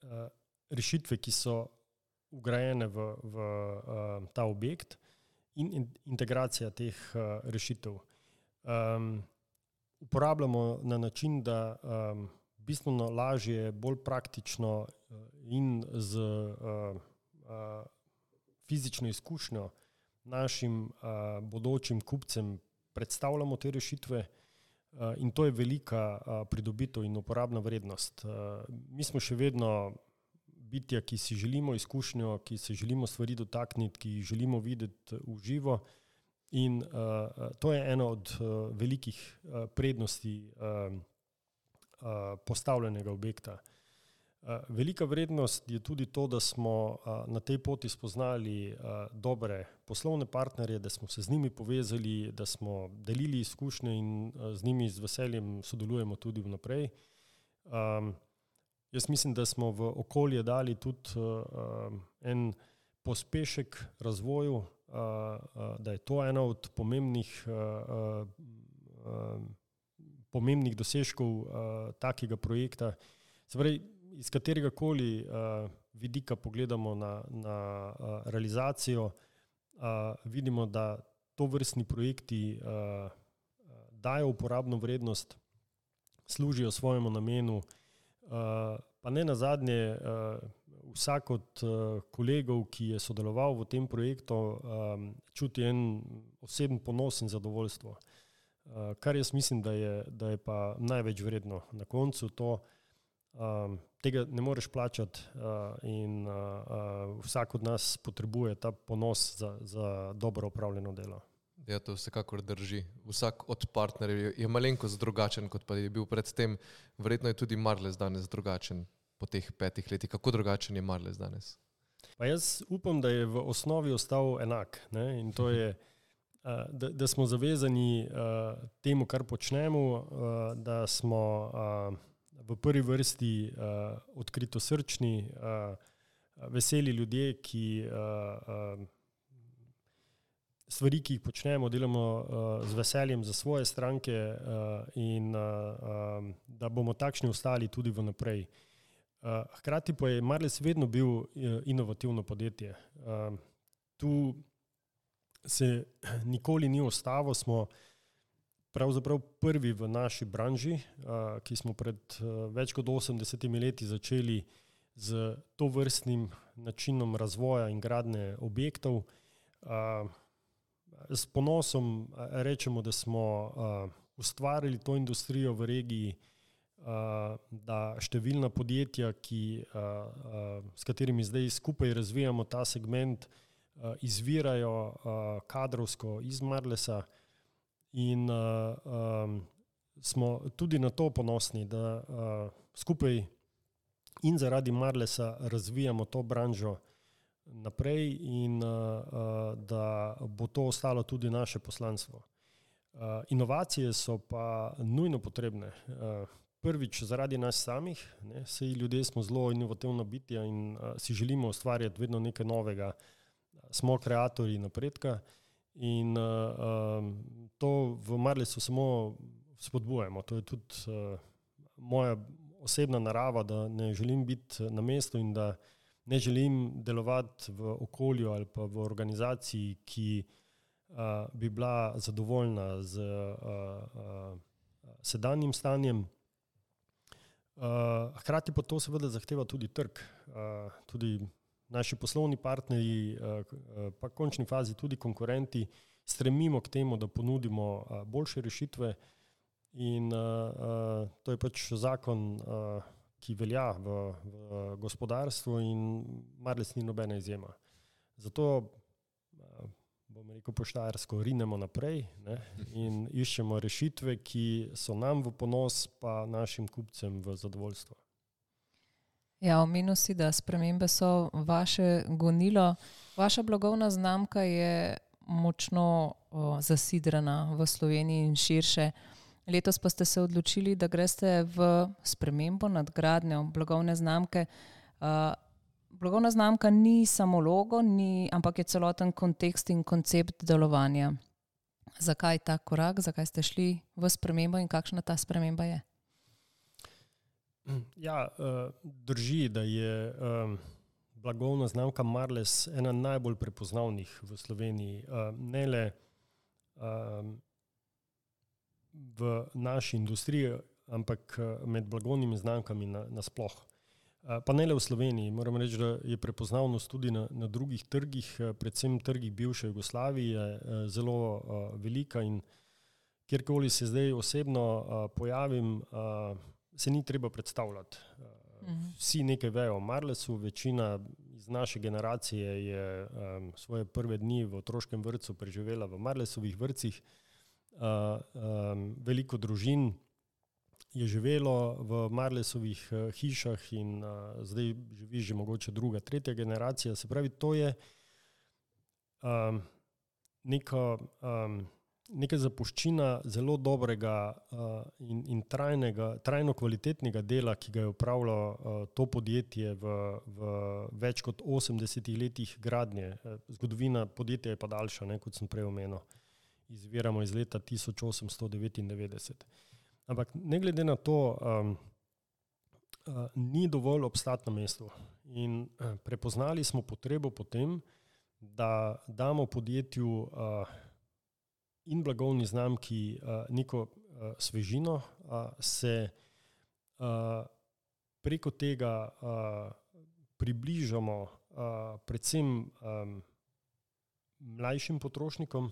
uh, rešitve, ki so vgrajene v, v uh, ta objekt in, in integracija teh uh, rešitev. Um, uporabljamo na način, da um, bistveno lažje, bolj praktično uh, in z uh, uh, fizično izkušnjo našim uh, bodočim kupcem predstavljamo te rešitve. Uh, in to je velika uh, pridobitev in uporabna vrednost. Uh, mi smo še vedno bitja, ki si želimo izkušnjo, ki se želimo stvari dotakniti, ki jih želimo videti v živo. In uh, to je ena od uh, velikih uh, prednosti uh, uh, postavljenega objekta. Uh, velika vrednost je tudi to, da smo uh, na tej poti spoznali uh, dobre poslovne partnerje, da smo se z njimi povezali, da smo delili izkušnje in uh, z njimi z veseljem sodelujemo tudi vnaprej. Um, jaz mislim, da smo v okolje dali tudi uh, en pospešek razvoju, uh, uh, da je to ena od pomembnih, uh, uh, pomembnih dosežkov uh, takega projekta. Se pravi, iz katerega koli uh, vidika pogledamo na, na uh, realizacijo, uh, vidimo, da to vrstni projekti uh, dajo uporabno vrednost, služijo svojemu namenu, uh, pa ne nazadnje uh, vsak od uh, kolegov, ki je sodeloval v tem projektu, um, čuti en oseben ponos in zadovoljstvo. Uh, kar jaz mislim, da je, da je pa največ vredno. Na koncu to Um, tega ne moreš plačati uh, in uh, uh, vsak od nas potrebuje ta ponos za, za dobro opravljeno delo. Ja, to vsekakor drži. Vsak od partnerjev je, je malenkost drugačen, kot pa je bil predtem. Verjetno je tudi Marles danes drugačen po teh petih letih. Kako drugačen je Marles danes? Pa jaz upam, da je v osnovi ostal enak, ne? In to je, uh, da, da smo zavezani uh, temu, kar počnemo, uh, da smo uh, v prvi vrsti uh, odkritosrčni, uh, veseli ljudje, ki uh, uh, stvari, ki jih počnemo, delamo uh, z veseljem za svoje stranke uh, in uh, uh, da bomo takšni ostali tudi vnaprej. Uh, hkrati pa je Marles vedno bil uh, inovativno podjetje. Uh, tu se nikoli ni ostalo, smo pravzaprav prvi v naši branži, ki smo pred več kot osemdesetimi leti začeli z tovrstnim načinom razvoja in gradnje objektov. S ponosom rečemo, da smo ustvarili to industrijo v regiji, da številna podjetja, ki, s katerimi zdaj skupaj razvijamo ta segment, izvirajo kadrovsko iz Marlesa. In uh, um, smo tudi na to ponosni, da uh, skupaj in zaradi Marlesa razvijamo to branžo naprej in uh, uh, da bo to ostalo tudi naše poslanstvo. Uh, inovacije so pa nujno potrebne. Uh, prvič zaradi nas samih, ne, saj ljudje smo zelo inovativna bitja in uh, si želimo ustvarjati vedno nekaj novega. Smo kreatorji napredka. In uh, um, to v Marlesu samo spodbujamo. To je tudi uh, moja osebna narava, da ne želim biti na mestu in da ne želim delovati v okolju ali pa v organizaciji, ki uh, bi bila zadovoljna z uh, uh, sedanjim stanjem. Uh, hkrati pa to seveda zahteva tudi trg. Uh, tudi naši poslovni partnerji, pa v končni fazi tudi konkurenti, stremimo k temu, da ponudimo boljše rešitve in to je pač zakon, ki velja v, v gospodarstvu in Marles ni nobena izjema. Zato, bom rekel po štajersko, rinemo naprej, ne, in iščemo rešitve, ki so nam v ponos, pa našim kupcem v zadovoljstvo. Ja, omenil si, da spremembe so vaše gonilo. Vaša blagovna znamka je močno o, zasidrana v Sloveniji in širše. Letos pa ste se odločili, da greste v spremembo, nadgradnjo blagovne znamke. Uh, blagovna znamka ni samo logo, ni, ampak je celoten kontekst in koncept delovanja. Zakaj ta korak, zakaj ste šli v spremembo in kakšna ta sprememba je? Ja, drži, da je blagovna znamka Marles ena najbolj prepoznavnih v Sloveniji. Ne le v naši industriji, ampak med blagovnimi znamkami nasploh. Pa ne le v Sloveniji, moram reči, da je prepoznavnost tudi na, na drugih trgih, predvsem trgih bivše Jugoslavije, zelo velika in kjerkoli se zdaj osebno pojavim, se ni treba predstavljati. Vsi nekaj vejo o Marlesu, večina iz naše generacije je um, svoje prve dni v otroškem vrtcu preživela v Marlesovih vrtcih. Uh, um, veliko družin je živelo v Marlesovih uh, hišah in uh, zdaj živi že mogoče druga, tretja generacija. Se pravi, to je um, neka, um, neka zapuščina zelo dobrega uh, in, in trajnega, trajno kvalitetnega dela, ki ga je upravilo uh, to podjetje v, v več kot osemdesetih letih gradnje. Zgodovina podjetja je pa daljša, ne, kot sem prej omenil. Izviramo iz leta tisoč osemsto devetindevetdeset. Ampak ne glede na to, um, uh, ni dovolj obstati na mestu. In uh, prepoznali smo potrebo po tem, da damo podjetju uh, in blagovni znamki uh, neko uh, svežino, uh, se uh, preko tega uh, približamo uh, predvsem um, mlajšim potrošnikom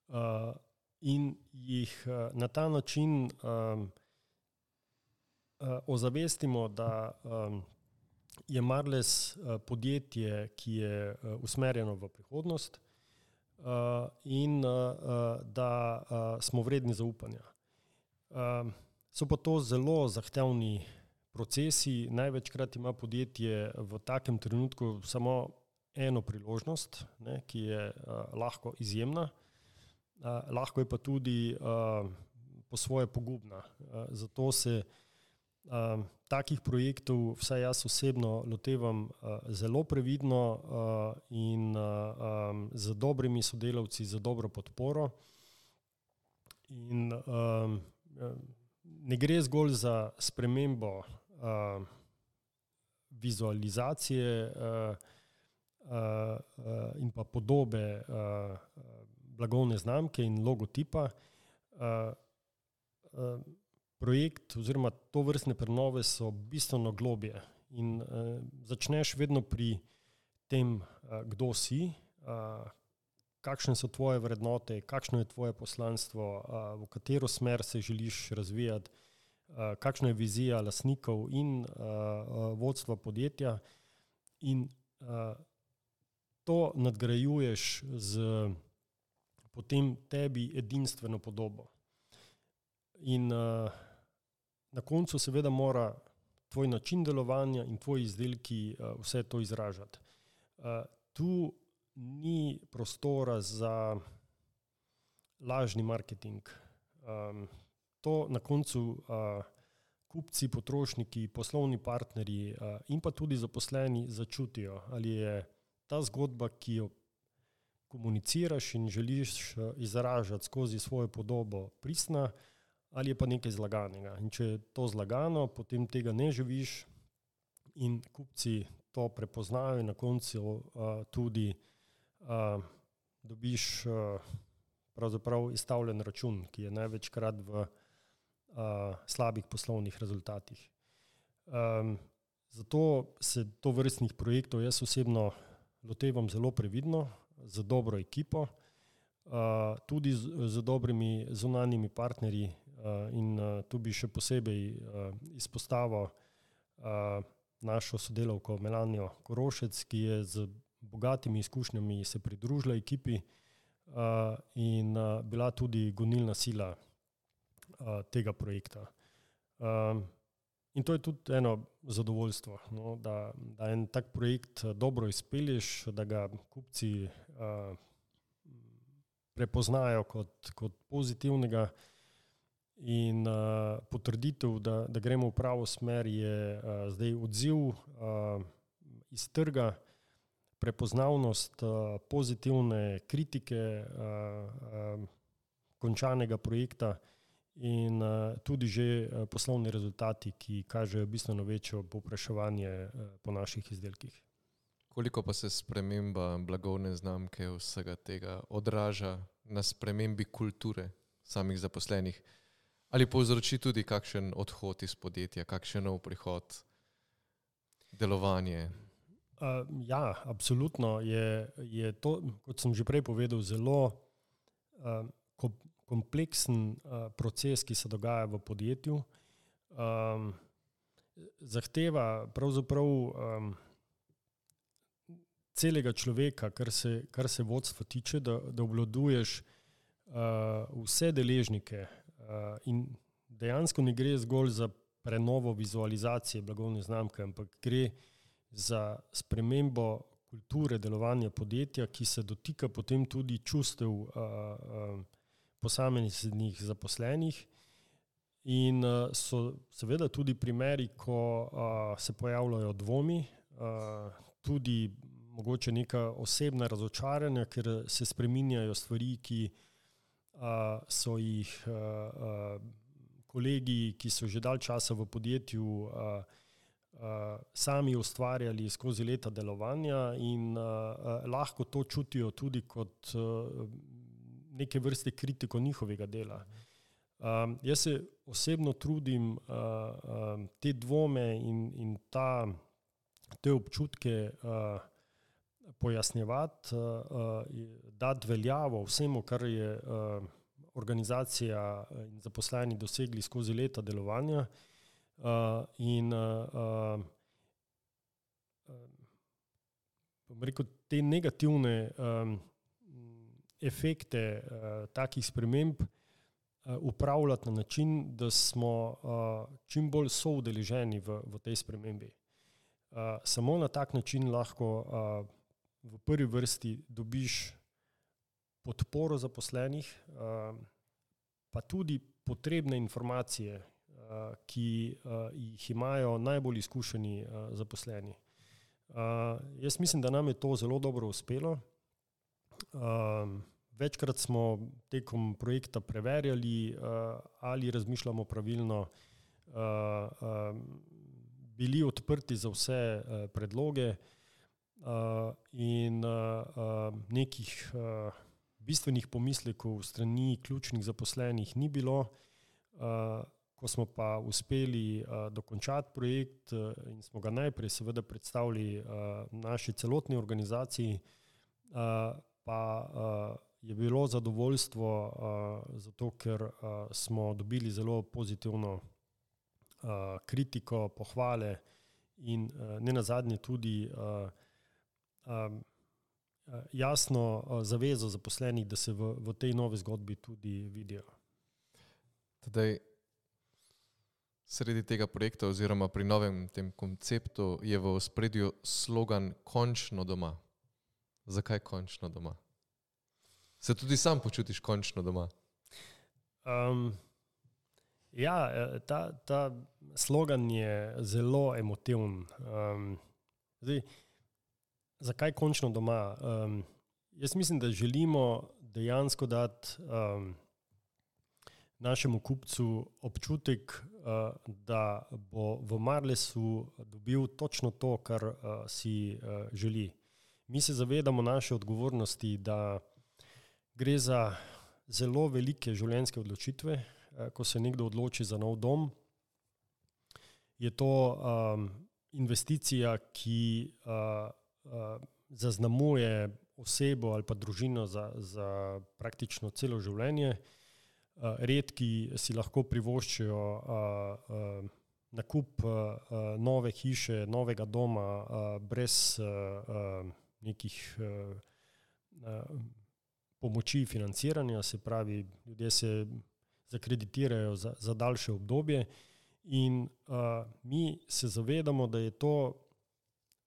uh, in jih uh, na ta način um, uh, ozavestimo, da um, je Marles uh, podjetje, ki je uh, usmerjeno v prihodnost, Uh, in uh, da uh, smo vredni zaupanja. Uh, so pa to zelo zahtevni procesi. Največkrat ima podjetje v takem trenutku samo eno priložnost, ne, ki je uh, lahko izjemna, uh, lahko je pa tudi uh, po svoje pogubna. Uh, zato se uh, takih projektov, vsaj jaz osebno, lotevam uh, zelo previdno uh, in uh, um, z dobrimi sodelavci, z dobro podporo. In um, ne gre zgolj za spremembo uh, vizualizacije uh, uh, in pa podobe uh, blagovne znamke in logotipa. Uh, uh, Projekt oziroma to vrstne prenove so bistveno globje in uh, začneš vedno pri tem, uh, kdo si, uh, kakšne so tvoje vrednote, kakšno je tvoje poslanstvo, uh, v katero smer se želiš razvijati, uh, kakšna je vizija lastnikov in uh, uh, vodstva podjetja in uh, to nadgrajuješ z potem tebi edinstveno podobo. In uh, na koncu seveda mora tvoj način delovanja in tvoji izdelki uh, vse to izražati. Uh, tu ni prostora za lažni marketing. Um, to na koncu uh, kupci, potrošniki, poslovni partnerji uh, in pa tudi zaposleni začutijo, ali je ta zgodba, ki jo komuniciraš in želiš uh, izražati skozi svojo podobo, pristna, ali je pa nekaj zlaganega. In če je to zlagano, potem tega ne živiš in kupci to prepoznajo in na koncu uh, tudi uh, dobiš uh, pravzaprav izstavljen račun, ki je največkrat v uh, slabih poslovnih rezultatih. Um, zato se to vrstnih projektov jaz osebno lotevam zelo previdno, z dobro ekipo, uh, tudi z, z dobrimi zunanjimi partnerji. Uh, in uh, tu bi še posebej uh, izpostavil uh, našo sodelavko Melanijo Korošec, ki je z bogatimi izkušnjami se pridružila ekipi uh, in uh, bila tudi gonilna sila uh, tega projekta. Um, in to je tudi eno zadovoljstvo, no, da, da en tak projekt dobro izpelješ, da ga kupci uh, prepoznajo kot, kot pozitivnega. In uh, potrditev, da, da gremo v pravo smer, je uh, zdaj odziv uh, iz trga, prepoznavnost uh, pozitivne kritike uh, uh, končanega projekta in uh, tudi že uh, poslovni rezultati, ki kažejo bistveno večjo povpraševanje uh, po naših izdelkih. Koliko pa se sprememba blagovne znamke vsega tega odraža na spremembi kulture samih zaposlenih? Ali povzroči tudi kakšen odhod iz podjetja, kakšen nov prihod, delovanje? Uh, ja, absolutno je, je to, kot sem že prej povedal, zelo uh, kompleksen uh, proces, ki se dogaja v podjetju. Um, zahteva pravzaprav um, celega človeka, kar se, kar se vodstva tiče, da, da obvladuješ uh, vse deležnike uh, in dejansko ne gre zgolj za prenovo vizualizacije blagovne znamke, ampak gre za spremembo kulture delovanja podjetja, ki se dotika potem tudi čustev uh, uh, posameznih zaposlenih. In uh, so seveda tudi primeri, ko uh, se pojavljajo dvomi, uh, tudi mogoče neka osebna razočaranja, ker se spreminjajo stvari, ki uh, so jih uh, uh, kolegi, ki so že dalj časa v podjetju, uh, uh, sami ustvarjali skozi leta delovanja in uh, uh, lahko to čutijo tudi kot uh, neke vrste kritiko njihovega dela. Um, jaz se osebno trudim uh, uh, te dvome in, in ta, te občutke uh, pojasnjevati, uh, dati veljavo vsemu, kar je uh, organizacija in zaposleni dosegli skozi leta delovanja uh, in uh, uh, rekel, te negativne um, efekte uh, takih sprememb uh, upravljati na način, da smo uh, čim bolj soudeleženi v, v tej spremembi. Uh, samo na tak način lahko uh, v prvi vrsti dobiš podporo zaposlenih, uh, pa tudi potrebne informacije, uh, ki uh, jih imajo najbolj izkušeni uh, zaposleni. Uh, jaz mislim, da nam je to zelo dobro uspelo. Uh, večkrat smo tekom projekta preverjali, uh, ali razmišljamo pravilno, uh, uh, bili odprti za vse uh, predloge uh, in uh, uh, nekih uh, bistvenih pomislekov strani ključnih zaposlenih ni bilo. Uh, ko smo pa uspeli uh, dokončati projekt uh, in smo ga najprej seveda predstavili uh, naši celotni organizaciji, uh, pa uh, je bilo zadovoljstvo, uh, zato ker uh, smo dobili zelo pozitivno uh, kritiko, pohvale in uh, ne nazadnje tudi uh, um, jasno uh, zavezo zaposlenih, da se v, v tej novi zgodbi tudi vidijo. Tadej, sredi tega projekta oziroma pri novem tem konceptu je v ospredju slogan končno doma. Zakaj končno doma? Se tudi sam počutiš končno doma? Um, ja, ta, ta slogan je zelo emotiven. Um, zdaj, zakaj končno doma? Um, jaz mislim, da želimo dejansko dati um, našemu kupcu občutek, uh, da bo v Marlesu dobil točno to, kar uh, si uh, želi. Mi se zavedamo naše odgovornosti, da gre za zelo velike življenjske odločitve. Uh, ko se nekdo odloči za nov dom, je to um, investicija, ki uh, uh, zaznamuje osebo ali pa družino za, za praktično celo življenje. Uh, redki si lahko privoščijo uh, uh, nakup uh, nove hiše, novega doma uh, brez uh, uh, nekih uh, uh, pomoči financiranja, se pravi, ljudje se zakreditirajo za, za daljše obdobje in uh, mi se zavedamo, da je to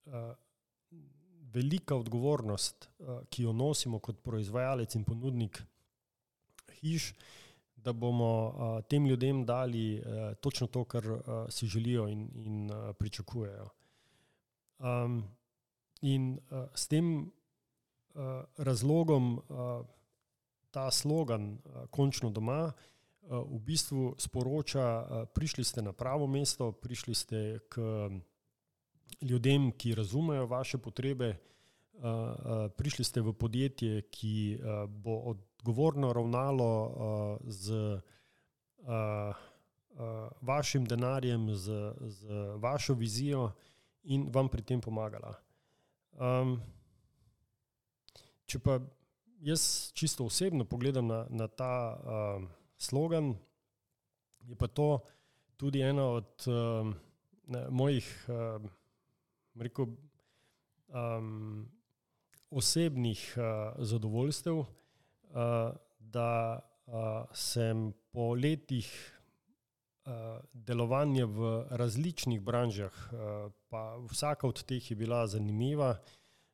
uh, velika odgovornost, uh, ki jo nosimo kot proizvajalec in ponudnik hiš, da bomo uh, tem ljudem dali uh, točno to, kar uh, si želijo in, in uh, pričakujejo. Um, In uh, s tem uh, razlogom uh, ta slogan uh, končno doma uh, v bistvu sporoča, uh, prišli ste na pravo mesto, prišli ste k ljudem, ki razumejo vaše potrebe, uh, uh, prišli ste v podjetje, ki uh, bo odgovorno ravnalo uh, z uh, uh, vašim denarjem, z, z vašo vizijo in vam pri tem pomagala. Um, če pa jaz čisto osebno pogledam na, na ta uh, slogan, je pa to tudi ena od uh, mojih uh, rekel, um, osebnih uh, zadovoljstev, uh, da uh, sem po letih uh, delovanja v različnih branžah, uh, pa vsaka od teh je bila zanimiva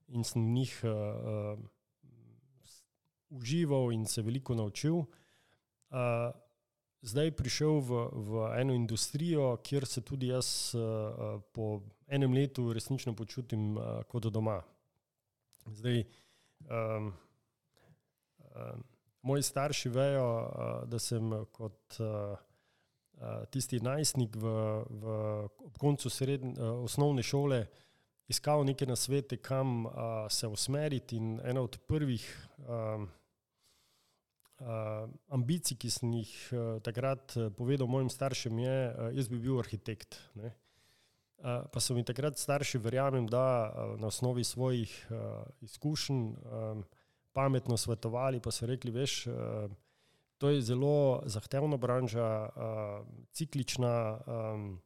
in sem v njih uh, užival in se veliko naučil. Uh, zdaj prišel v, v eno industrijo, kjer se tudi jaz uh, po enem letu resnično počutim uh, kot doma. Zdaj, um, um, moji starši vejo, uh, da sem kot uh, uh, tisti najstnik v, v, ob koncu srednje, uh, osnovne šole iskal neke nasvete, kam uh, se usmeriti, in ena od prvih um, uh, ambicij, ki sem jih uh, takrat povedal mojim staršem, je, uh, jaz bi bil arhitekt. Ne? Uh, pa so mi takrat starši, verjamem, da uh, na osnovi svojih uh, izkušenj um, pametno svetovali, pa so rekli, veš, uh, to je zelo zahtevna branža, uh, ciklična, um,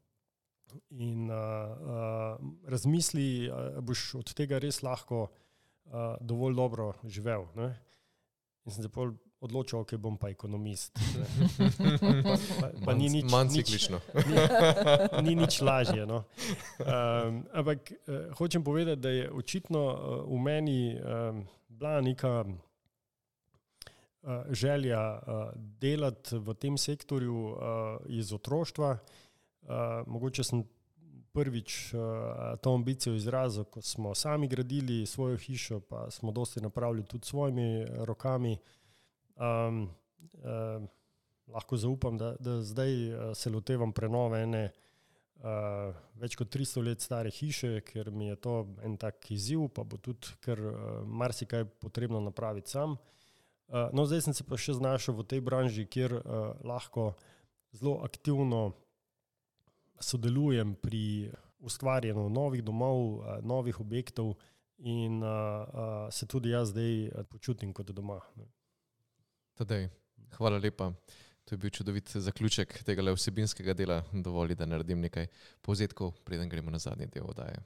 in uh, uh, razmisli, uh, boš od tega res lahko uh, dovolj dobro živel. Ne? In sem se pol odločil, ok, bom pa ekonomist. pa, pa, pa ni nič, manj ciklično. Ni, ni nič lažje. No? Um, ampak uh, hočem povedati, da je očitno uh, v meni um, bila neka uh, želja uh, delati v tem sektorju uh, iz otroštva. Uh, mogoče sem prvič uh, to ambicijo izrazil, ko smo sami gradili svojo hišo, pa smo dosti napravili tudi svojimi rokami. Um, uh, lahko zaupam, da, da zdaj uh, se lotevam prenove ene uh, več kot tristo let stare hiše, ker mi je to en tak izziv, pa bo tudi kar uh, marsikaj potrebno napraviti sam. Uh, no, zdaj sem se pa še znašel v tej branži, kjer uh, lahko zelo aktivno sodelujem pri ustvarjanju novih domov, novih objektov in uh, uh, se tudi jaz zdaj počutim kot doma. Tadej, hvala lepa. To je bil čudovit zaključek tega vsebinskega dela. Dovoli, da naredim nekaj povzetkov, preden gremo na zadnji del oddaje.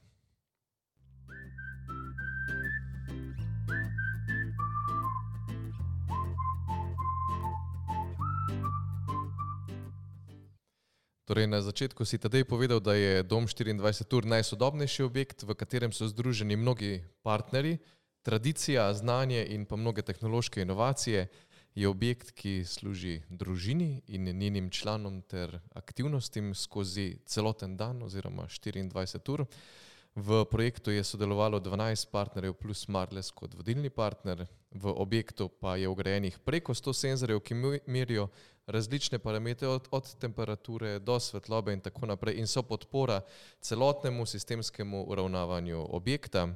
Torej, na začetku si Tadej povedal, da je Dom štiriindvajset ur najsodobnejši objekt, v katerem so združeni mnogi partnerji, tradicija, znanje in pa mnoge tehnološke inovacije. Je objekt, ki služi družini in njenim članom ter aktivnostim skozi celoten dan oziroma štiriindvajset ur. V projektu je sodelovalo dvanajst partnerjev plus Marles kot vodilni partner. V objektu pa je vgrajenih preko sto senzorjev, ki merijo različne parametre od, od temperature do svetlobe in tako naprej in so podpora celotnemu sistemskemu uravnavanju objekta.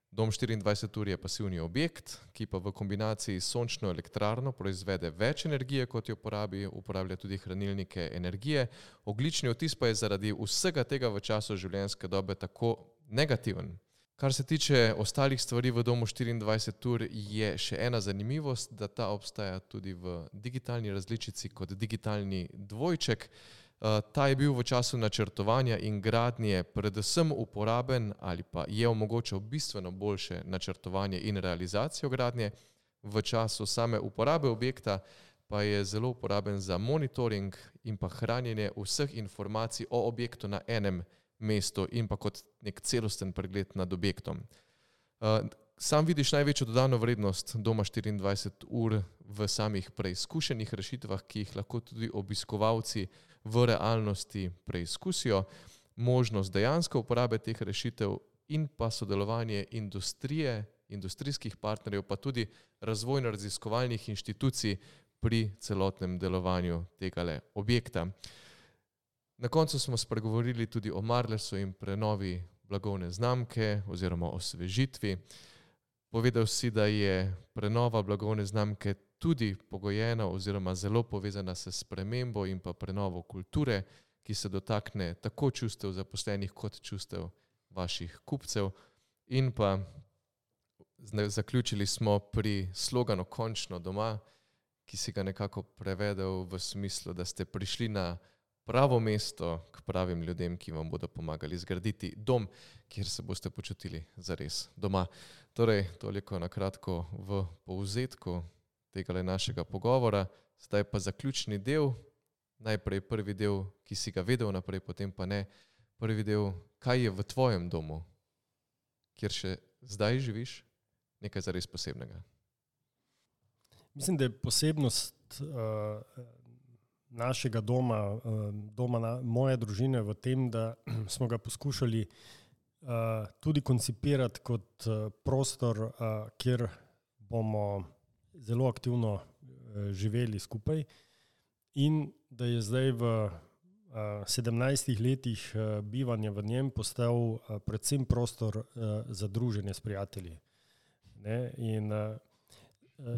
Dom štiriindvajset ur je pasivni objekt, ki pa v kombinaciji s sončno elektrarno proizvede več energije, kot jo porabi, uporablja tudi hranilnike energije. Ogljični odtis pa je zaradi vsega tega v času življenjske dobe tako negativen. Kar se tiče ostalih stvari v Domu štiriindvajset ur, je še ena zanimivost, da ta obstaja tudi v digitalni različici kot digitalni dvojček. Ta je bil v času načrtovanja in gradnje predvsem uporaben ali pa je omogočal bistveno boljše načrtovanje in realizacijo gradnje. V času same uporabe objekta pa je zelo uporaben za monitoring in pa hranjenje vseh informacij o objektu na enem mestu in pa kot nek celosten pregled nad objektom. Sam vidiš največjo dodano vrednost Doma štiriindvajset ur v samih preizkušenih rešitvah, ki jih lahko tudi obiskovalci v realnosti preizkusijo. Možnost dejansko uporabe teh rešitev in pa sodelovanje industrije, industrijskih partnerjev, pa tudi razvojno-raziskovalnih inštitucij pri celotnem delovanju tegale objekta. Na koncu smo spregovorili tudi o Marlesu in prenovi blagovne znamke oziroma osvežitvi. Povedal si, da je prenova blagovne znamke tudi pogojena oziroma zelo povezana s spremembo in pa prenovo kulture, ki se dotakne tako čustev zaposlenih kot čustev vaših kupcev. In pa zaključili smo pri sloganu Končno doma, ki si ga nekako prevedel v smislu, da ste prišli na pravo mesto k pravim ljudem, ki vam bodo pomagali zgraditi dom, kjer se boste počutili zares doma. Torej, toliko na kratko v povzetku tega našega pogovora. Zdaj pa zaključni del, najprej prvi del, ki si ga vedel naprej, potem pa ne. Prvi del, kaj je v tvojem domu, kjer še zdaj živiš, nekaj zares posebnega? Mislim, da je posebnost uh, našega doma, uh, doma na, moje družine v tem, da smo ga poskušali uh, tudi koncipirati kot uh, prostor, uh, kjer bomo zelo aktivno uh, živeli skupaj in da je zdaj v uh, sedemnajstih letih uh, bivanja v njem postal uh, predvsem prostor uh, za druženje s prijatelji. Ne? In uh,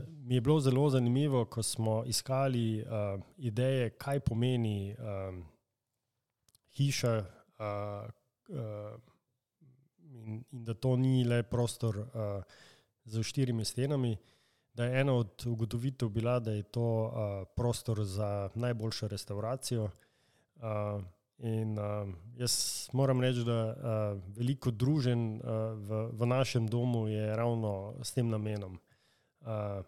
mi je bilo zelo zanimivo, ko smo iskali uh, ideje, kaj pomeni uh, hiša uh, uh, in, in da to ni le prostor uh, z štirimi stenami, da je ena od ugotovitev bila, da je to uh, prostor za najboljšo restauracijo. Uh, in uh, jaz moram reči, da uh, veliko druženj uh, v, v našem domu je ravno s tem namenom. Uh,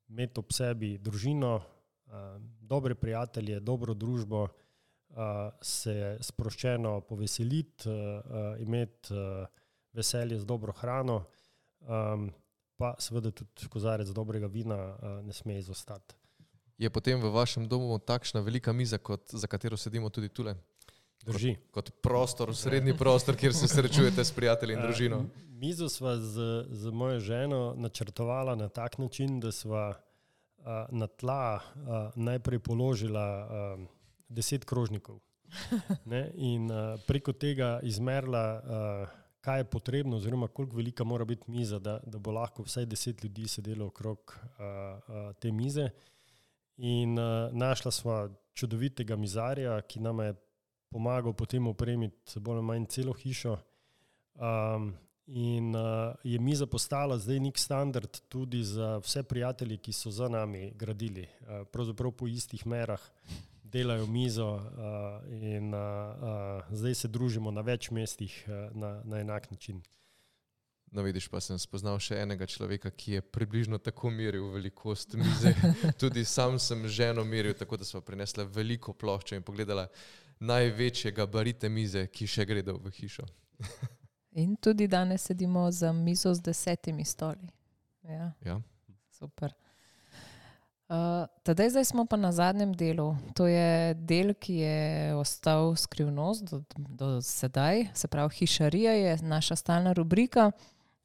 imeti ob sebi družino, uh, dobre prijatelje, dobro družbo, uh, se sproščeno poveseliti, uh, uh, imeti uh, veselje z dobro hrano, um, pa seveda tudi kozarec dobrega vina uh, ne sme izostati. Je potem v vašem domu takšna velika miza, kot, za katero sedimo tudi tule? Drži. Kot, kot prostor, srednji prostor, kjer se srečujete s prijatelji in družino. Uh, mizo sva z, z mojo ženo načrtovala na tak način, da sva uh, na tla uh, najprej položila uh, deset krožnikov. Ne? In uh, preko tega izmerila, uh, kaj je potrebno oziroma koliko velika mora biti miza, da, da bo lahko vsaj deset ljudi sedelo okrog uh, uh, te mize. In uh, našla sva čudovitega mizarja, ki nam je pomagal potem opremiti bolj ali manj celo hišo. Um, in uh, je miza postala zdaj nek standard tudi za vse prijatelje, ki so za nami gradili. Uh, pravzaprav po istih merah delajo mizo uh, in uh, uh, zdaj se družimo na več mestih uh, na, na enak način. No vidiš, pa sem spoznal še enega človeka, ki je približno tako meril velikost mize. Tudi sam sem ženo meril, tako da sva prinesla veliko ploščo in pogledala največje gabarite mize, ki še gredo v hišo. In tudi danes sedimo za mizo z desetimi stoli. Ja, ja. Super. Uh, tadej zdaj smo pa na zadnjem delu. To je del, ki je ostal skrivnost do, do sedaj. Se pravi, hišarija je naša stalna rubrika,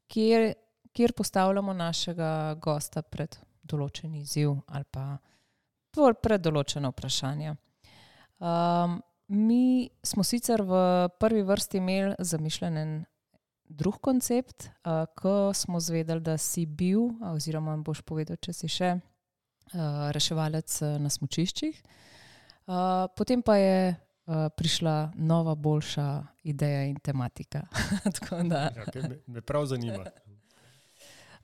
kjer, kjer postavljamo našega gosta pred določen izziv ali pa pred določeno vprašanje. Um, mi smo sicer v prvi vrsti imeli zamišljen en drug koncept, uh, ko smo zvedeli, da si bil, oziroma boš povedal, če si še uh, reševalec na smučiščih. Uh, potem pa je uh, prišla nova, boljša ideja in tematika. Tako da, ja, okay, me, me prav zanima.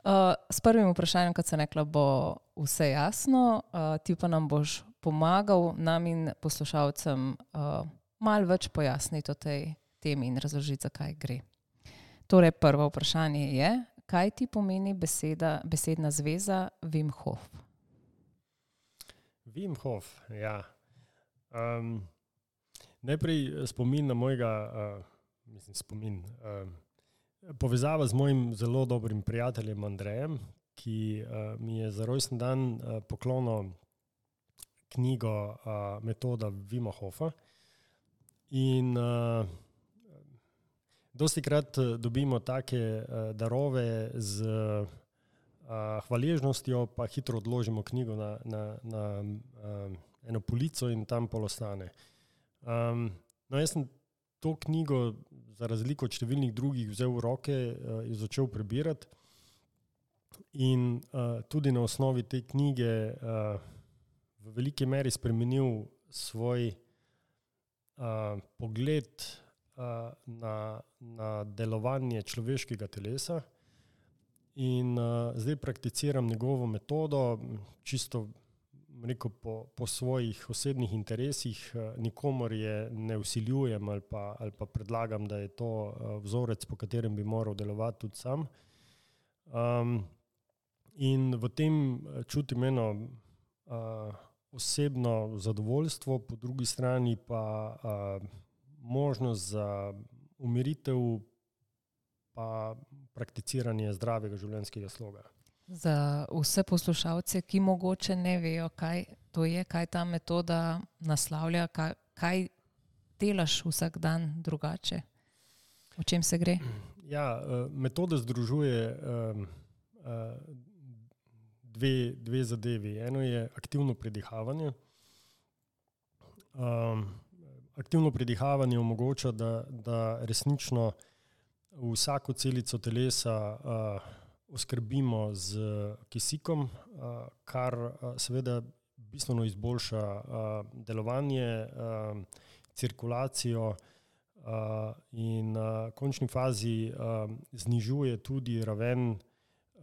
Uh, s prvim vprašanjem, kot sem rekla, bo vse jasno. Uh, ti pa nam boš pomagal nam in poslušalcem uh, malo več pojasniti o tej temi in razložiti, zakaj gre. Torej, prvo vprašanje je, kaj ti pomeni beseda, besedna zveza Wim Hof? Wim Hof, ja. Um, najprej spomin na mojega, uh, mislim spomin, uh, povezava z mojim zelo dobrim prijateljem Andrejem, ki uh, mi je za rojstni dan uh, poklonil knjigo uh, Metoda Wima Hofa. In uh, dosti krat dobimo take uh, darove z uh, hvaležnostjo, pa hitro odložimo knjigo na, na, na uh, eno polico in tam pol ostane. Um, no, jaz sem to knjigo, za razliko od številnih drugih, vzel v roke in uh, začel prebirati. In uh, tudi na osnovi te knjige uh, v veliki meri spremenil svoj uh, pogled uh, na, na delovanje človeškega telesa. In uh, zdaj prakticiram njegovo metodo, čisto rekel, po, po svojih osebnih interesih, uh, nikomor je ne vsiljujem ali pa, ali pa predlagam, da je to uh, vzorec, po katerem bi moral delovati tudi sam. Um, in v tem čutim eno uh, osebno zadovoljstvo, po drugi strani pa uh, možnost za umiritev pa prakticiranje zdravega življenjskega sloga. Za vse poslušalce, ki mogoče ne vejo, kaj to je, kaj ta metoda naslavlja, kaj, kaj delaš vsak dan drugače, o čem se gre? Ja, metoda združuje um, uh, dve, dve zadevi. Eno je aktivno predihavanje. Um, aktivno predihavanje omogoča, da, da resnično vsako celico telesa uh, oskrbimo z kisikom, uh, kar uh, seveda bistveno izboljša uh, delovanje, uh, cirkulacijo uh, in v uh, končni fazi uh, znižuje tudi raven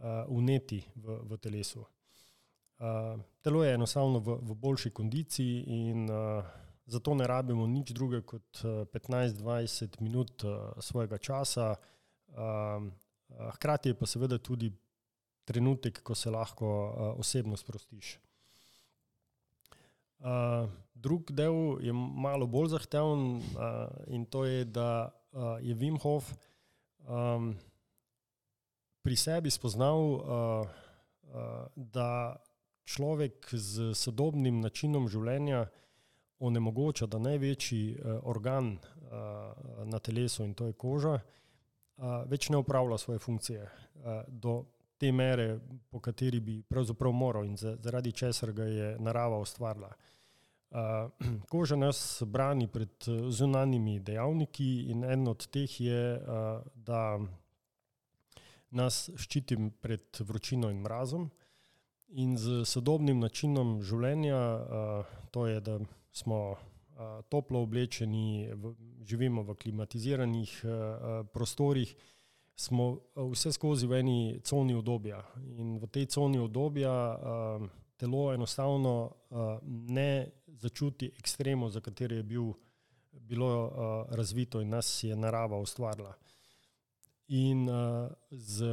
Uh, vneti v, v telesu. Uh, telo je enostavno v, v boljši kondiciji in uh, zato ne rabimo nič druge kot uh, petnajst do dvajset minut uh, svojega časa. Uh, uh, hkrati je pa seveda tudi trenutek, ko se lahko uh, osebno sprostiš. Uh, drug del je malo bolj zahteven uh, in to je, da uh, je Wim Hof um, pri sebi spoznal, uh, uh, da človek z sodobnim načinom življenja onemogoča, da največji uh, organ uh, na telesu, in to je koža, uh, več ne opravlja svoje funkcije uh, do te mere, po kateri bi pravzaprav moral in zaradi česar ga je narava ustvarila. Uh, koža nas brani pred zunanjimi dejavniki in en od teh je, uh, da nas ščitim pred vročino in mrazom in z sodobnim načinom življenja, uh, to je, da smo uh, toplo oblečeni, v, živimo v klimatiziranih uh, prostorih, smo uh, vse skozi v eni coni udobja in v tej coni udobja uh, telo enostavno uh, ne začuti ekstremov, za katere je bil, bilo uh, razvito in nas je narava ustvarila. In uh, z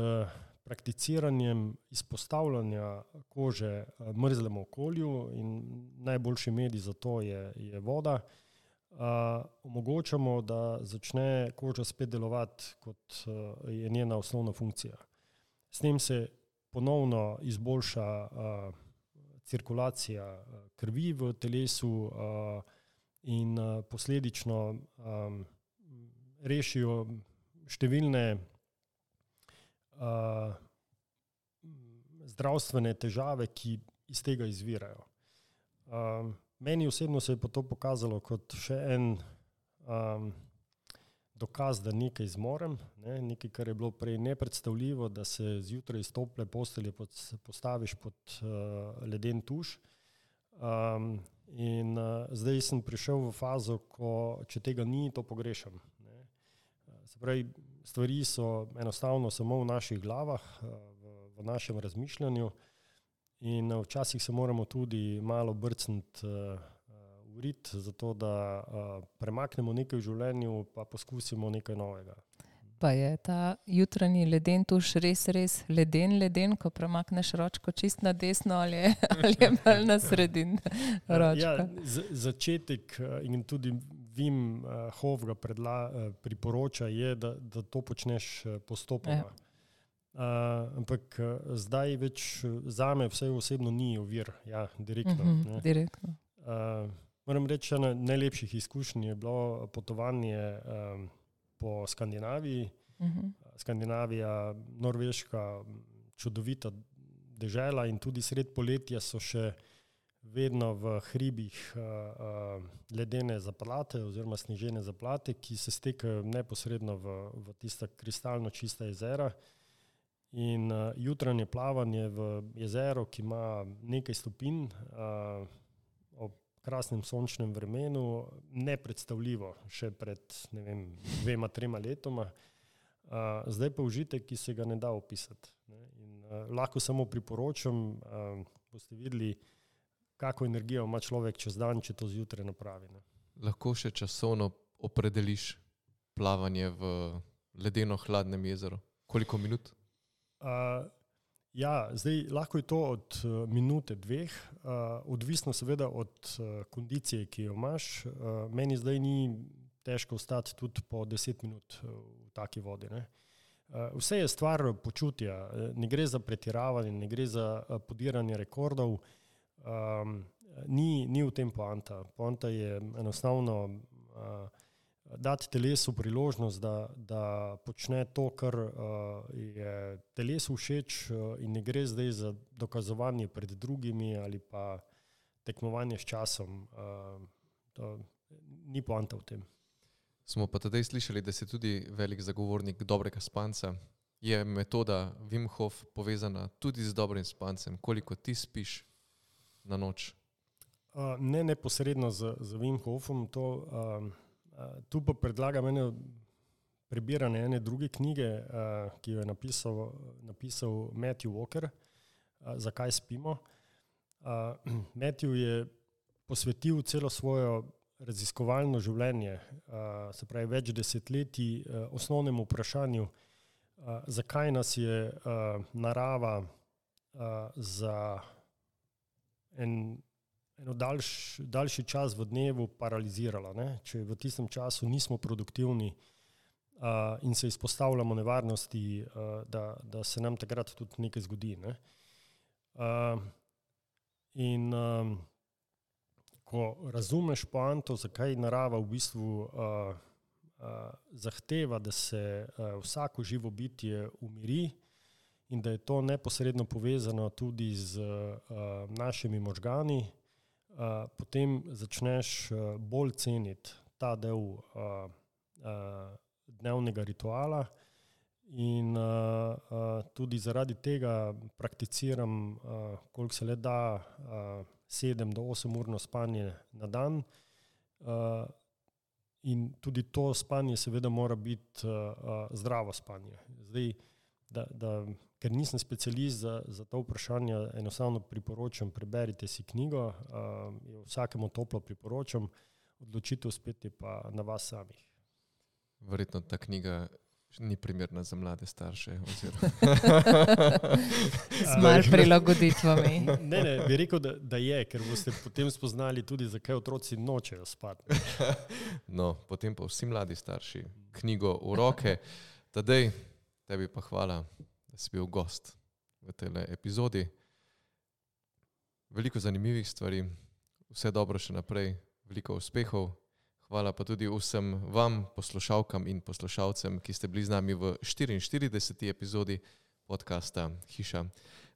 prakticiranjem izpostavljanja kože uh, mrzlemu okolju in najboljši medij za to je, je voda, uh, omogočamo, da začne koža spet delovati, kot uh, je njena osnovna funkcija. S tem se ponovno izboljša uh, cirkulacija uh, krvi v telesu uh, in uh, posledično um, rešijo številne uh, zdravstvene težave, ki iz tega izvirajo. Um, meni osebno se je pa to pokazalo kot še en um, dokaz, da nekaj zmorem, ne? Nekaj, kar je bilo prej nepredstavljivo, da se zjutraj iz tople postelje pod, postaviš pod uh, leden tuš. Um, in uh, zdaj sem prišel v fazo, ko če tega ni, to pogrešam. Se pravi, stvari so enostavno samo v naših glavah, v, v našem razmišljanju in včasih se moramo tudi malo brcniti uh, v rit, zato da uh, premaknemo nekaj v življenju, pa poskusimo nekaj novega. Pa je ta jutranji leden tuš res, res leden, leden, ko premakneš ročko čist na desno ali je, ali je bolj na sredin ročka? Ja, z, začetek in tudi Wim Hof ga predla, priporoča je, da, da to počneš postopoma. Ja. Uh, ampak zdaj več zame vse osebno ni ovir, ja, direktno. Uh-huh, ne. direktno. Uh, moram reči, ena najlepših izkušenj je bilo potovanje um, po Skandinaviji. Uh-huh. Skandinavija, Norveška, čudovita dežela in tudi sred poletja so še vedno v hribih uh, uh, ledene zaplate oziroma snežene zaplate, ki se stekajo neposredno v, v tista kristalno čista jezera. In uh, jutranje plavanje v jezero, ki ima nekaj stopinj, uh, ob krasnem sončnem vremenu, nepredstavljivo še pred, ne vem, dvema, trema letoma. Uh, zdaj pa užitek, ki se ga ne da opisati. Ne? In uh, lahko samo priporočam, uh, boste videli, kako energijo ima človek čez dan, če to zjutraj napravi. Ne? Lahko še časovno opredeliš plavanje v ledeno hladnem jezeru? Koliko minut? Uh, ja, zdaj lahko je to od uh, minute, dveh, uh, odvisno seveda od uh, kondicije, ki jo imaš. Uh, meni zdaj ni težko ostati tudi po deset minut uh, v taki vodi. Ne? Uh, vse je stvar počutja, ne gre za pretiravanje, ne gre za uh, podiranje rekordov. Um, ni, ni v tem poanta. Poanta je enostavno uh, dati telesu priložnost, da, da počne to, kar uh, je telesu všeč uh, in ne gre zdaj za dokazovanje pred drugimi ali pa tekmovanje s časom. Uh, to ni poanta v tem. Smo pa tedaj slišali, da si tudi velik zagovornik dobrega spanca. Je metoda Wim Hof povezana tudi z dobrim spancem? Koliko ti spiš na noč? Uh, ne neposredno z, z Wim Hofom, to, uh, uh, tu pa predlagam ene prebiranje ene druge knjige, uh, ki jo je napisal, napisal Matthew Walker, uh, Zakaj spimo. Uh, Matthew je posvetil celo svojo raziskovalno življenje, uh, se pravi več desetletij, uh, osnovnemu vprašanju, uh, zakaj nas je uh, narava uh, za En, eno daljš, daljši čas v dnevu paralizirala. Ne? Če v tistem času nismo produktivni uh, in se izpostavljamo nevarnosti, uh, da, da se nam takrat tudi nekaj zgodi. Ne? Uh, in um, ko razumeš poanto, zakaj narava v bistvu uh, uh, zahteva, da se uh, vsako živo bitje umiri, in da je to neposredno povezano tudi z uh, našimi možgani, uh, potem začneš uh, bolj ceniti ta del uh, uh, dnevnega rituala in uh, uh, tudi zaradi tega prakticiram, uh, koliko se le da, uh, sedem do osem urno spanje na dan. Uh, in tudi to spanje seveda mora biti uh, uh, zdravo spanje. Zdaj, da, da Ker nisem specialist za, za to vprašanje, enostavno priporočam, preberite si knjigo, uh, vsakemu toplo priporočam, odločitev spet je pa na vas samih. Verjetno ta knjiga ni primerna za mlade starše. Z malo prilagoditvami. Ne, ne, bi rekel, da, da je, ker boste potem spoznali tudi, zakaj otroci nočejo spati. No, potem pa vsi mladi starši knjigo v roke. Tadej, tebi pa hvala, da si bil gost v tej epizodi. Veliko zanimivih stvari, vse dobro še naprej, veliko uspehov. Hvala pa tudi vsem vam, poslušalkam in poslušalcem, ki ste bili z nami v štiriinštirideseti epizodi podcasta Hiša.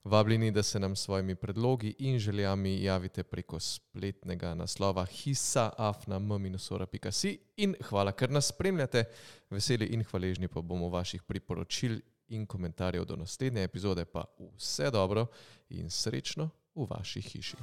Vabljeni, da se nam s svojimi predlogi in željami javite preko spletnega naslova hisa afna m minus ora pika si in hvala, ker nas spremljate. Veseli in hvaležni pa bomo vaših priporočil in komentarjev do naslednje epizode, pa vse dobro in srečno v vaši hiši.